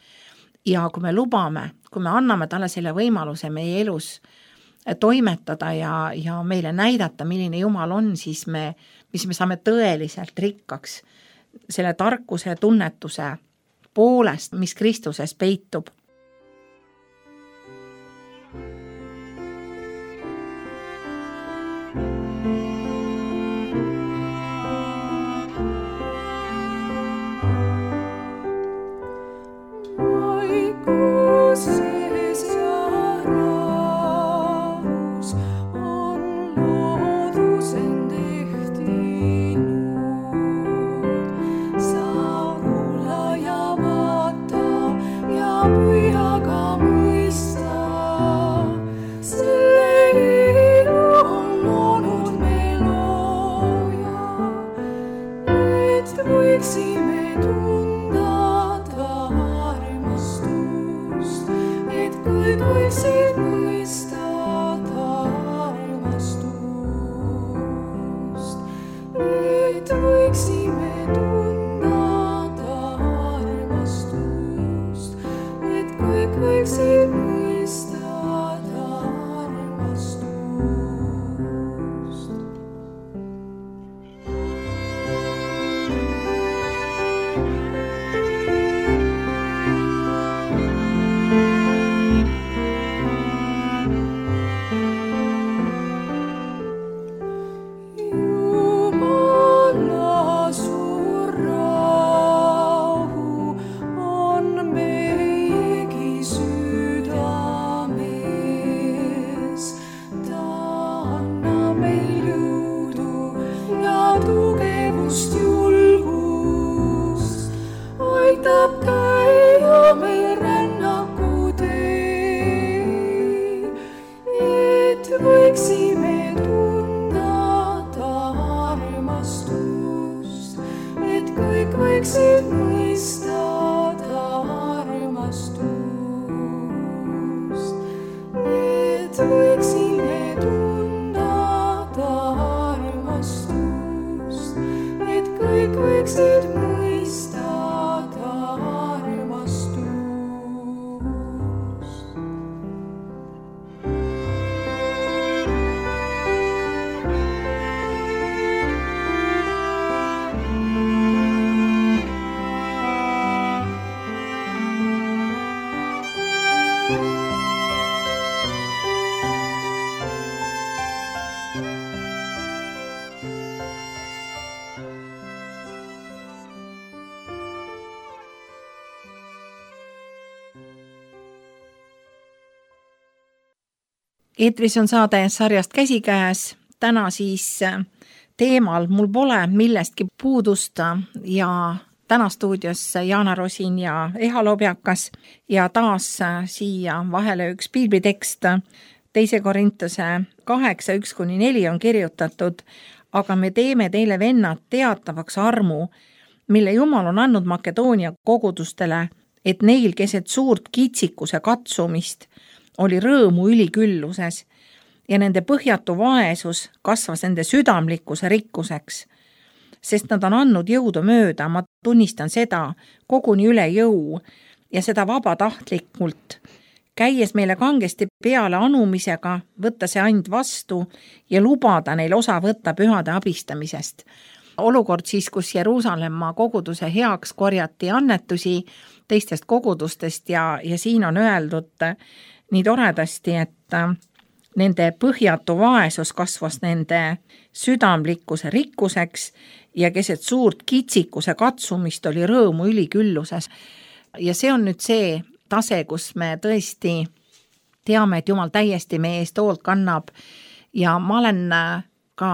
Ja kui me lubame, kui me anname talle selle võimaluse meie elus toimetada ja meile näidata, milline Jumal on, siis me saame tõeliselt rikkaks selle tarkuse ja tunnetuse poolest, mis Kristuses peitub. Eetris on saade sarjast Käsikäes, täna siis teemal Mul pole millestki puudust ja täna stuudios Jaana Rosin ja Eha Lobjakas ja taas siia vahele üks piiblitekst, 2 Korintuse 8:1-4 on kirjutatud, aga me teeme teile vennad teatavaks armu, mille Jumal on andnud Makedoonia kogudustele, et neil keset suurt kitsikuse katsumist oli rõõmu ülikülluses ja nende põhjatu vaesus kasvas nende südamlikkuse rikkuseks, sest nad on andnud jõudu mööda, ma tunnistan seda, koguni üle jõu ja seda vabatahtlikult, käies meile kangesti peale anumisega, võtta see and vastu ja lubada neil osa võtta pühade abistamisest. Olukord siis, kus Jeruusalemma koguduse heaks korjati annetusi teistest kogudustest ja siin on öeldud nii toredasti, et nende põhjatu vaesus kasvas nende südamlikkuse rikkuseks ja keset suurt kitsikuse katsumist oli rõõmu ülikülluses. Ja see on nüüd see tase, kus me tõesti teame, et Jumal täiesti meie eest hoolt kannab ja ma olen ka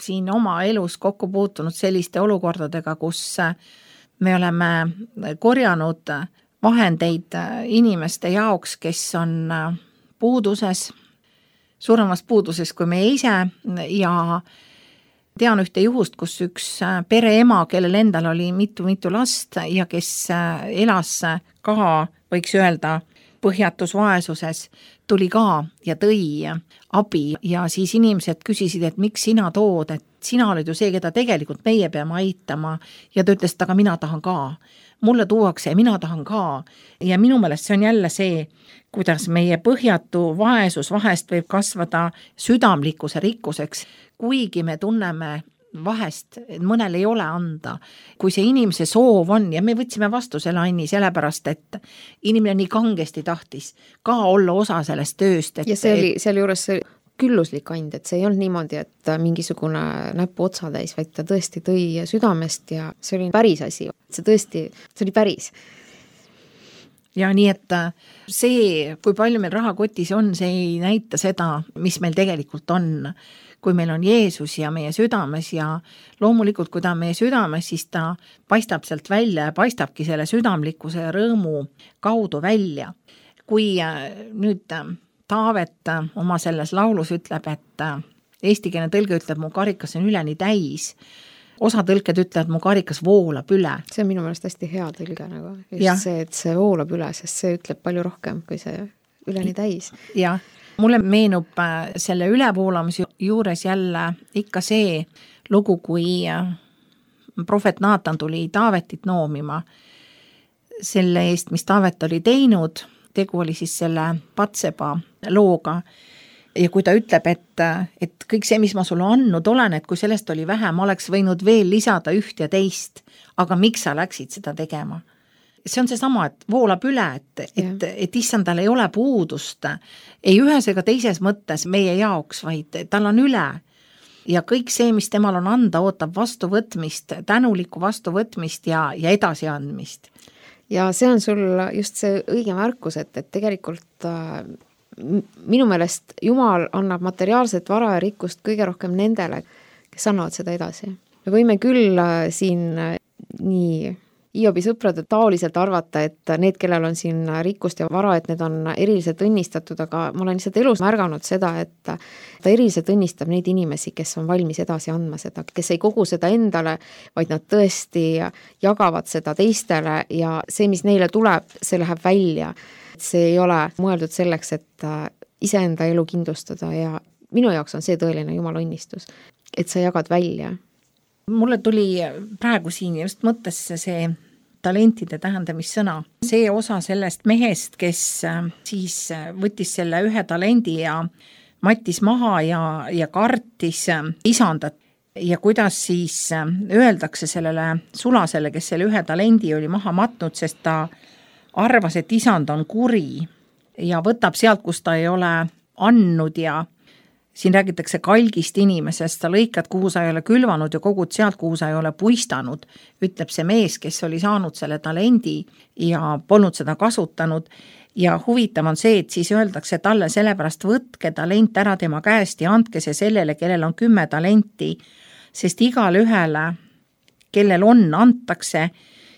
siin oma elus kokku puutunud selliste olukordadega, kus me oleme korjanud vahendeid inimeste jaoks, kes on puuduses, suuremas puuduses kui meie ise ja tean ühte juhust, kus üks pereema, kellel endal oli mitu last ja kes elas ka, võiks öelda, põhjatus vaesuses, tuli ka ja tõi abi ja siis inimesed küsisid, et miks sina tood, et sina oled ju see, keda tegelikult meie peame aitama ja ta ütles, et aga mina tahan ka. Mulle tuuakse ja mina tahan ka. Ja minu meelest see on jälle see, kuidas meie põhjatu vaesus vahest võib kasvada südamlikkuse rikkuseks, kuigi me tunneme vahest, et mõnel ei ole anda. Kui see inimese soov on ja me võtsime vastu selle Anni sellepärast, et inimene nii kangesti tahtis ka olla osa sellest tööst. Ja see oli seal juures see külluslik and, et see ei olnud niimoodi, et mingisugune näpu otsa täis, vaid ta tõesti tõi südamest ja see oli päris asi. See oli päris. Ja nii, et see, kui palju meil rahakotis on, see ei näita seda, mis meil tegelikult on. Kui meil on Jeesus ja meie südames ja loomulikult, kui ta on meie südames, siis ta paistab sealt välja ja paistabki selle südamlikkuse ja rõõmu kaudu välja. Kui nüüd Taavet oma selles laulus ütleb, et eestikeelne tõlge ütleb, mu karikas on üleni täis, osa tõlked ütlevad, mu karikas voolab üle. See on minu meelest hästi hea tõlge nagu. Just see, et see voolab üle, sest see ütleb palju rohkem, kui see üleni täis. Jah. Mulle meenub selle ülevoolamise juures jälle ikka see lugu, kui prohvet Naatan tuli Taavetit noomima selle eest, mis Taavet oli teinud. Tegu oli siis selle Patseba looga. Ja kui ta ütleb, et kõik see, mis ma sulle andnud olen, et kui sellest oli vähe, ma oleks võinud veel lisada üht ja teist, aga miks sa läksid seda tegema? See on see sama, et voolab üle, et issandal ei ole puudust, ei ühes ega teises mõttes meie jaoks, vaid tal on üle. Ja kõik see, mis temal on anda, ootab vastuvõtmist, tänulikku vastuvõtmist ja edasiandmist. Ja see on sul just see õige märkus, et tegelikult minu meelest Jumal annab materiaalset vara ja rikkust kõige rohkem nendele, kes annavad seda edasi. Me võime küll siin nii Hiobi sõprade taoliselt arvata, et need, kellel on siin rikkust ja vara, et need on eriliselt õnnistatud, aga ma olen lihtsalt elus märganud seda, et ta eriliselt õnnistab neid inimesi, kes on valmis edasi andma seda, kes ei kogu seda endale, vaid nad tõesti jagavad seda teistele ja see, mis neile tuleb, see läheb välja. See ei ole mõeldud selleks, et iseenda elu kindlustada ja minu jaoks on see tõeline Jumala õnnistus, et sa jagad välja. Mulle tuli praegu siin just mõttesse see talentide tähendamissõna. See osa sellest mehest, kes siis võttis selle ühe talendi ja mattis maha ja kartis isandat. Ja kuidas siis öeldakse sellele sulasele, kes selle ühe talendi oli maha matnud, sest ta arvas, et isand on kuri ja võtab sealt, kus ta ei ole andnud ja siin räägitakse kalgist inimesest, sa lõikad, kuhu sa ei ole külvanud ja kogud sealt, kuhu sa ei ole puistanud, ütleb see mees, kes oli saanud selle talendi ja polnud seda kasutanud. Ja huvitav on see, et siis öeldakse talle sellepärast võtke talent ära tema käest ja andke see sellele, kellel on 10 talenti, sest igale ühele, kellel on, antakse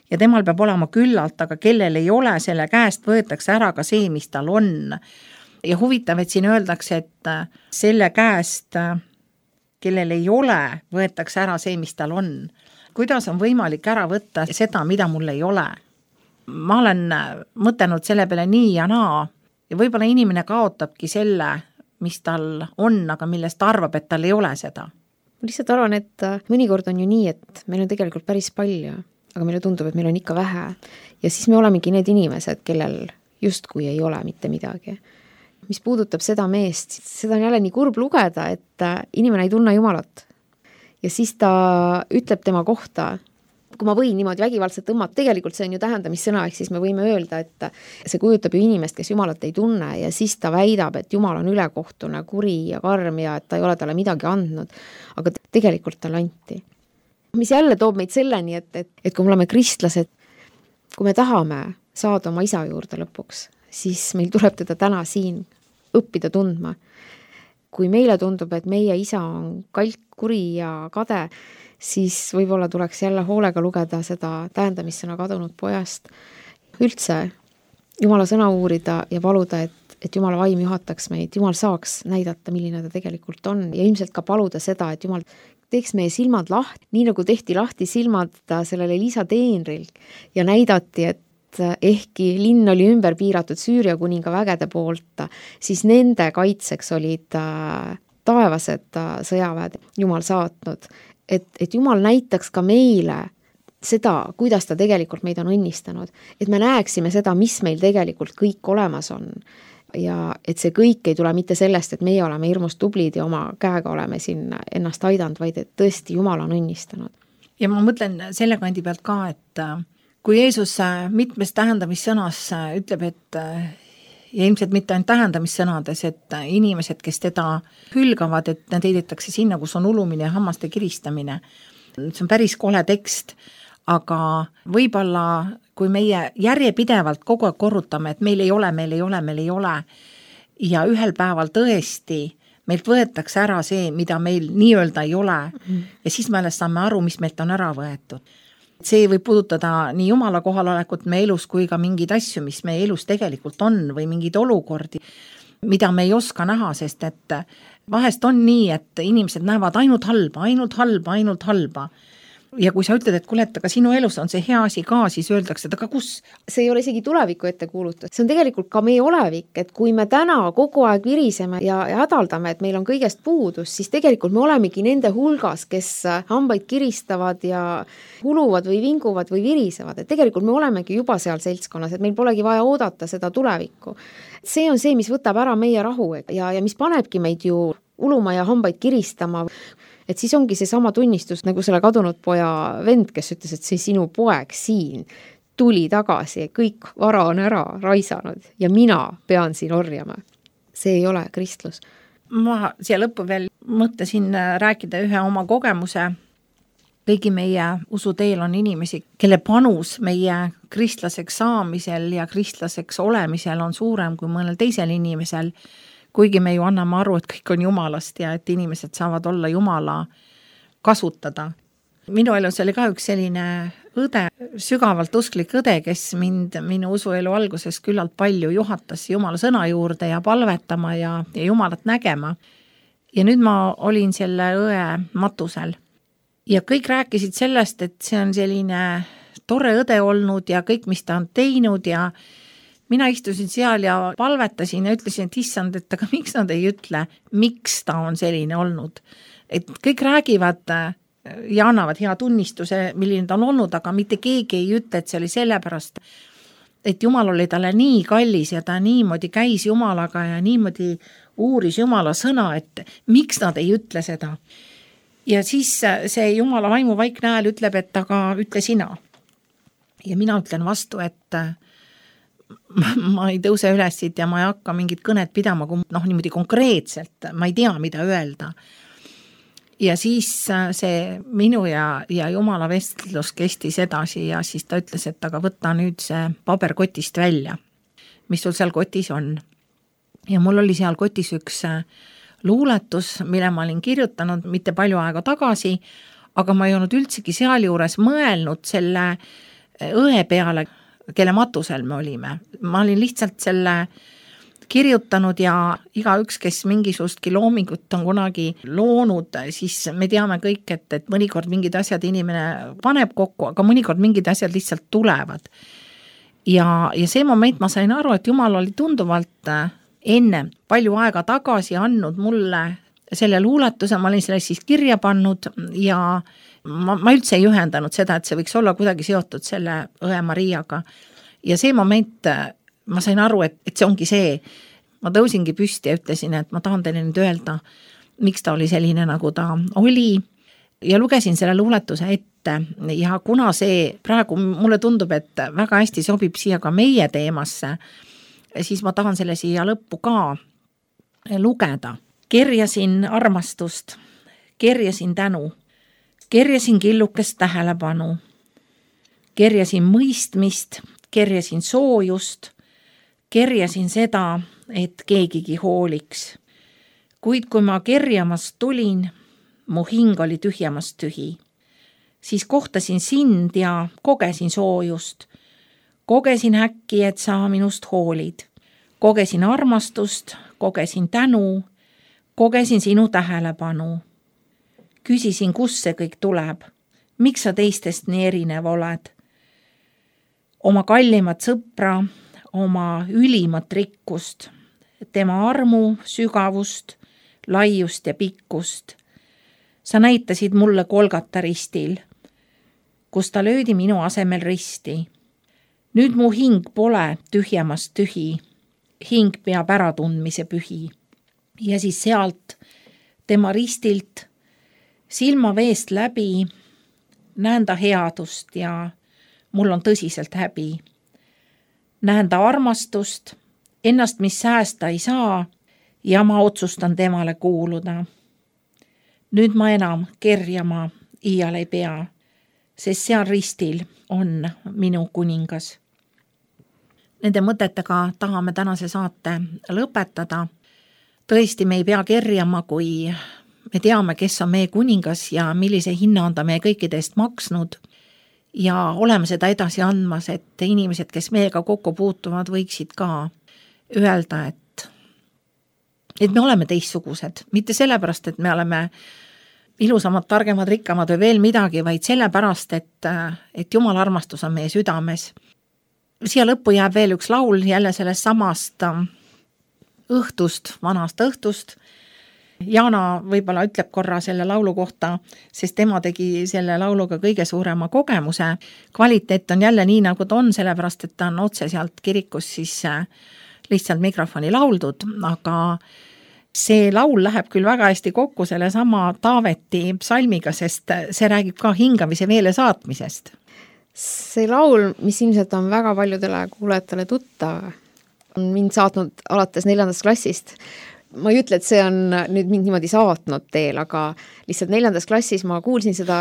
ja temal peab olema küllalt, aga kellel ei ole, selle käest võetakse ära ka see, mis tal on. Ja huvitav, et siin öeldakse, et selle käest, kellel ei ole, võetakse ära see, mis tal on. Kuidas on võimalik ära võtta seda, mida mul ei ole? Ma olen mõtelnud selle peale nii ja naa ja võib-olla inimene kaotabki selle, mis tal on, aga millest arvab, et tal ei ole seda. Ma lihtsalt arvan, et mõnikord on ju nii, et meil on tegelikult päris palju, aga meile tundub, et meil on ikka vähe ja siis me olemegi need inimesed, kellel justkui ei ole mitte midagi. Mis puudutab seda meest, seda on jälle nii kurb lugeda, et inimene ei tunne Jumalat. Ja siis ta ütleb tema kohta, kui ma võin niimoodi vägivaldselt tõmmata, tegelikult see on ju tähendamissõna, ehk siis me võime öelda, et see kujutab ju inimest, kes Jumalat ei tunne ja siis ta väidab, et Jumal on ülekohtune, kuri ja karm ja et ta ei ole talle midagi andnud, aga tegelikult talle anti. Mis jälle toob meid selleni, et kui me oleme kristlased, kui me tahame saada oma isa juurde lõpuks, siis meil tuleb teda täna siin õppida tundma. Kui meile tundub, et meie isa on kalk, kuri ja kade, siis võib-olla tuleks jälle hoolega lugeda seda tähendamissõna kadunud pojast. Üldse Jumala sõna uurida ja paluda, et Jumala vaim juhataks meid, Jumal saaks näidata, milline ta tegelikult on ja ilmselt ka paluda seda, et Jumal teeks meie silmad lahti, nii nagu tehti lahti silmad sellele Liisa teenril ja näidati, et ehkki linn oli ümber piiratud Süüria kuninga vägede poolt, siis nende kaitseks olid taevased sõjaväed Jumal saatnud, et Jumal näitaks ka meile seda, kuidas ta tegelikult meid on õnnistanud, et me näeksime seda, mis meil tegelikult kõik olemas on ja et see kõik ei tule mitte sellest, et meie oleme hirmus tublid ja oma käega oleme siin ennast aidanud, vaid et tõesti Jumal on õnnistanud. Ja ma mõtlen selle kandi pealt ka, et kui Jeesus mitmes tähendamissõnas ütleb, et ja ilmselt mitte ainult tähendamissõnades, et inimesed, kes teda hülgavad, et need heidetakse sinna, kus on ulumine ja hammaste kiristamine. See on päris kole tekst, aga võib-olla kui meie järjepidevalt kogu aeg korrutame, et meil ei ole ja ühel päeval tõesti meilt võetakse ära see, mida meil nii-öelda ei ole ja siis me alles saame aru, mis meilt on ära võetud. See võib puudutada nii Jumala kohalolekut meie elus kui ka mingeid asju, mis meie elus tegelikult on või mingeid olukordi, mida me ei oska näha, sest et vahest on nii, et inimesed näevad ainult halba. Ja kui sa ütled, et kuule, et aga sinu elus on see hea asi ka, siis öeldakse, et aga kus? See ei ole isegi tuleviku ette kuulutud. See on tegelikult ka meie olevik, et kui me täna kogu aeg viriseme ja hädaldame, et meil on kõigest puudus, siis tegelikult me olemegi nende hulgas, kes hambaid kiristavad ja huluvad või vinguvad või virisevad. Et tegelikult me olemegi juba seal seltskonnas, et meil polegi vaja oodata seda tulevikku. See on see, mis võtab ära meie rahu ja mis panebki meid ju uluma ja hambaid kiristama. Et siis ongi see sama tunnistus, nagu selle kadunud poja vend, kes ütles, et see sinu poeg siin tuli tagasi, kõik vara on ära raisanud ja mina pean siin orjama. See ei ole kristlus. Ma siia lõppu veel mõtlesin rääkida ühe oma kogemuse. Kõigi meie usuteel on inimesi, kelle panus meie kristlaseks saamisel ja kristlaseks olemisel on suurem kui mõnel teisel inimesel, kuigi me ju anname aru, et kõik on Jumalast ja et inimesed saavad olla Jumala kasutada. Minu elus oli ka üks selline õde, sügavalt usklik õde, kes minu usuelu alguses küllalt palju juhatas Jumala sõna juurde ja palvetama ja Jumalat nägema. Ja nüüd ma olin selle õe matusel. Ja kõik rääkisid sellest, et see on selline tore õde olnud ja kõik, mis ta on teinud ja mina istusin seal ja palvetasin ja ütlesin, et issand, et aga miks nad ei ütle, miks ta on selline olnud. Et kõik räägivad ja annavad hea tunnistuse, milline ta on olnud, aga mitte keegi ei ütle, et see oli sellepärast, et Jumal oli talle nii kallis ja ta niimoodi käis Jumalaga ja niimoodi uuris Jumala sõna, et miks nad ei ütle seda. Ja siis see Jumala vaimu vaikne hääl ütleb, et aga ütle sina. Ja mina ütlen vastu, et ma ei tõuse üles siit ja ma ei hakka mingit kõnet pidama, niimoodi konkreetselt, ma ei tea, mida öelda. Ja siis see minu ja Jumala vestlus kestis edasi ja siis ta ütles, et aga võta nüüd see paber kotist välja, mis sul seal kotis on. Ja mul oli seal kotis üks luuletus, mille ma olin kirjutanud mitte palju aega tagasi, aga ma ei olnud üldsegi seal juures mõelnud selle õe peale, kelle matusel me olime. Ma olin lihtsalt selle kirjutanud ja igaüks, kes mingisugustki loomingut on kunagi loonud, siis me teame kõik, et mõnikord mingid asjad inimene paneb kokku, aga mõnikord mingid asjad lihtsalt tulevad. Ja see moment ma sain aru, et Jumal oli tunduvalt enne palju aega tagasi andnud mulle selle luuletuse, ma olin selle siis kirja pannud ja ma üldse ei ühendanud seda, et see võiks olla kuidagi seotud selle õe Mariaga. Ja see moment ma sain aru, et see ongi see. Ma tõusingi püsti ja ütlesin, et ma tahan teile nüüd öelda, miks ta oli selline, nagu ta oli. Ja lugesin selle luuletuse ette ja kuna see praegu mulle tundub, et väga hästi sobib siia ka meie teemasse, siis ma tahan selle siia lõppu ka lugeda. Kerjasin armastust, kerjasin tänu, kerjasin killukest tähelepanu, kerjasin mõistmist, kerjasin soojust, kerjasin seda, et keegigi hooliks. Kuid kui ma kerjamast tulin, mu hing oli tühjamast tühi. Siis kohtasin sind ja kogesin soojust. Kogesin äkki, et sa minust hoolid. Kogesin armastust, kogesin tänu, kogesin sinu tähelepanu. Küsisin, kus see kõik tuleb. Miks sa teistest nii erinev oled? Oma kallimat sõpra, oma ülimat rikkust, tema armu, sügavust, laiust ja pikkust. Sa näitasid mulle Golgata ristil, kus ta löödi minu asemel risti. Nüüd mu hing pole tühjemast tühi, hing peab äratundmise pühi. Ja siis sealt tema ristilt silmaveest läbi näen ta headust ja mul on tõsiselt häbi. Näen ta armastust, ennast mis säästa ei saa ja ma otsustan temale kuuluda. Nüüd ma enam kerjama iial ei pea, sest seal ristil on minu kuningas. Nende mõtetega tahame tänase saate lõpetada. Tõesti, me ei pea kerjama, kui me teame, kes on meie kuningas ja millise hinna on ta meie kõikidest maksnud. Ja oleme seda edasi andmas, et inimesed, kes meiega kokku puutuvad, võiksid ka öelda, et me oleme teistsugused. Mitte sellepärast, et me oleme ilusamad, targemad, rikkamad või veel midagi, vaid sellepärast, et Jumala armastus on meie südames. Siia lõppu jääb veel üks laul jälle sellest samast õhtust, vanast õhtust. Jaana võib-olla ütleb korra selle laulu kohta, sest tema tegi selle lauluga kõige suurema kogemuse. Kvaliteet on jälle nii, nagu ta on, sellepärast, et ta on otse sealt kirikus siis lihtsalt mikrofoni lauldud, aga see laul läheb küll väga hästi kokku selle sama Taaveti psalmiga, sest see räägib ka hingamise veele saatmisest. See laul, mis ilmselt on väga paljudele kuulajatele tuttav, on mind saatnud alates 4. klassist. Ma ei ütle, et see on nüüd mind niimoodi saatnud teel, aga lihtsalt 4. klassis ma kuulsin seda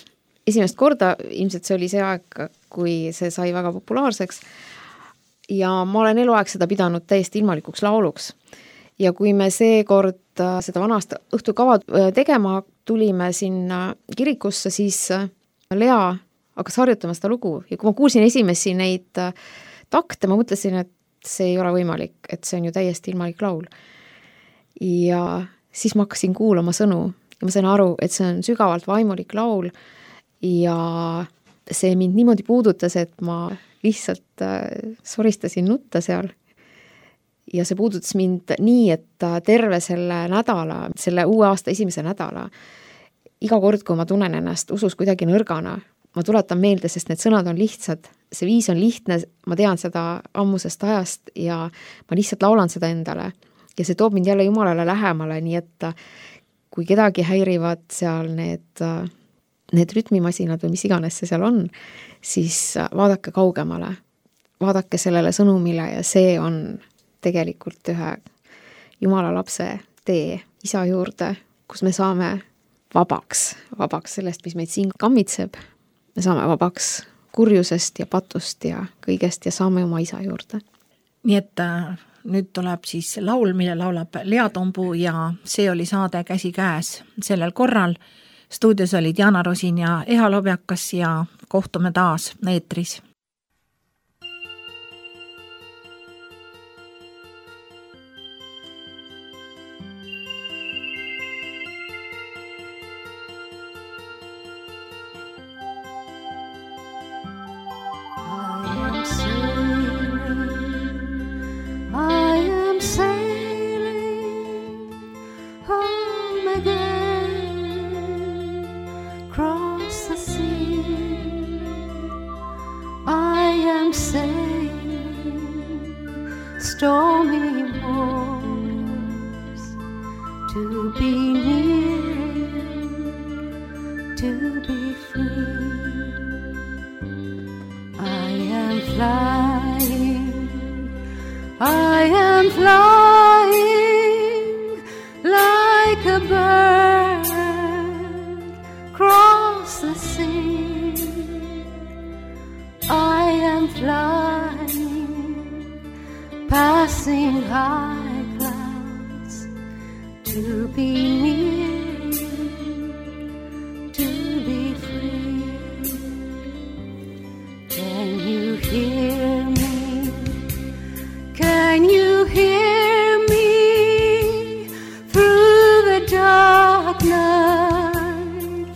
esimest korda, ilmselt see oli see aeg, kui see sai väga populaarseks ja ma olen eluaeg seda pidanud täiesti ilmalikuks lauluks. Ja kui me seekord seda vanast õhtukava tegema tulime sinna kirikusse, siis Lea hakkas harjutama seda lugu ja kui ma kuulsin esimesi neid takte, ma mõtlesin, et see ei ole võimalik, et see on ju täiesti ilmalik laul. Ja siis ma hakkasin kuulama sõnu ja ma sain aru, et see on sügavalt vaimulik laul ja see mind niimoodi puudutas, et ma lihtsalt soristasin nutta seal. Ja see puudutas mind nii, et terve selle nädala, selle uue aasta esimese nädala, iga kord, kui ma tunnen ennast usus kuidagi nõrgana, ma tuletan meelde, sest need sõnad on lihtsad, see viis on lihtne, ma tean seda ammusest ajast ja ma lihtsalt laulan seda endale. Ja see toob mind jälle Jumalale lähemale, nii et kui kedagi häirivad seal need rütmimasinad või mis iganes see seal on, siis vaadake kaugemale, vaadake sellele sõnumile ja see on tegelikult ühe Jumala lapse tee isa juurde, kus me saame vabaks sellest, mis meid siin kammitseb. Me saame vabaks kurjusest ja patust ja kõigest ja saame oma isa juurde. Nii et nüüd tuleb siis laul, mille laulab Lea Tombu ja see oli saade Käsi käes sellel korral. Stuudios olid Jaana Rosin ja Eha Lobjakas ja kohtume taas eetris. Stormy waters to be near, to be free. I am flying like a bird across the sea. I am flying passing high clouds to be near, to be free. Can you hear me? Can you hear me through the dark night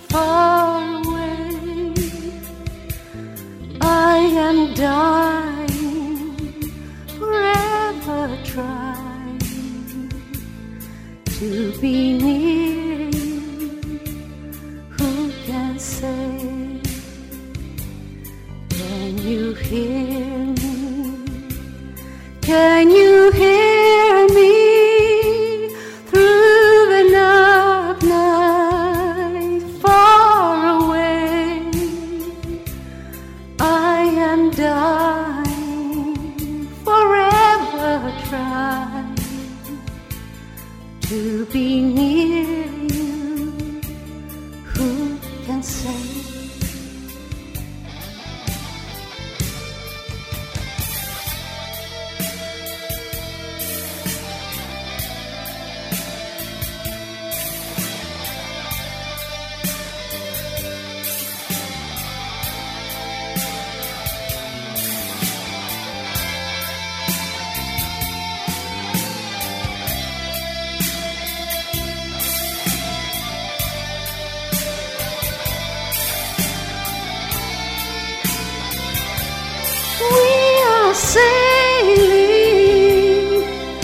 try to be near you. Who can say?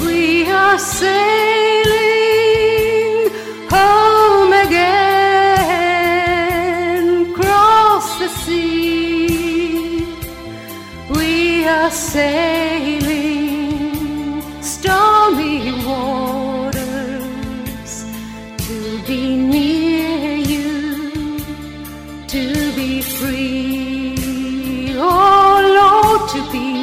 We are sailing home again, cross the sea. We are sailing stormy waters to be near you, to be free. Oh Lord, to be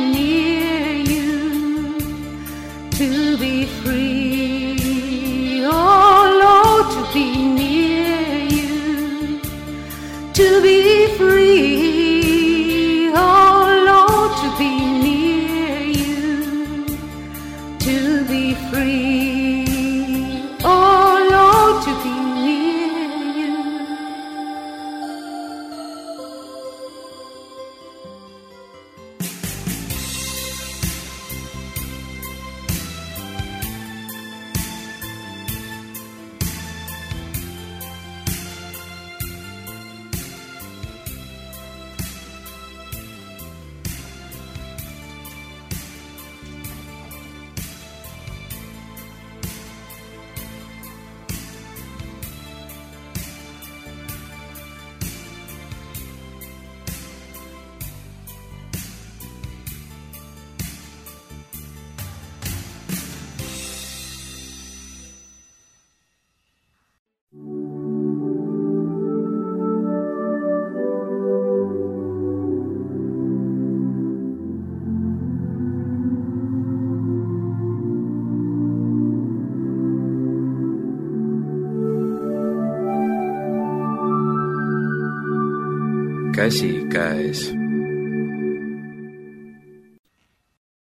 to be free, oh Lord, to be near you, to be free, oh Lord, to be near you, to be free, oh Lord, to be near you. Käsi käes.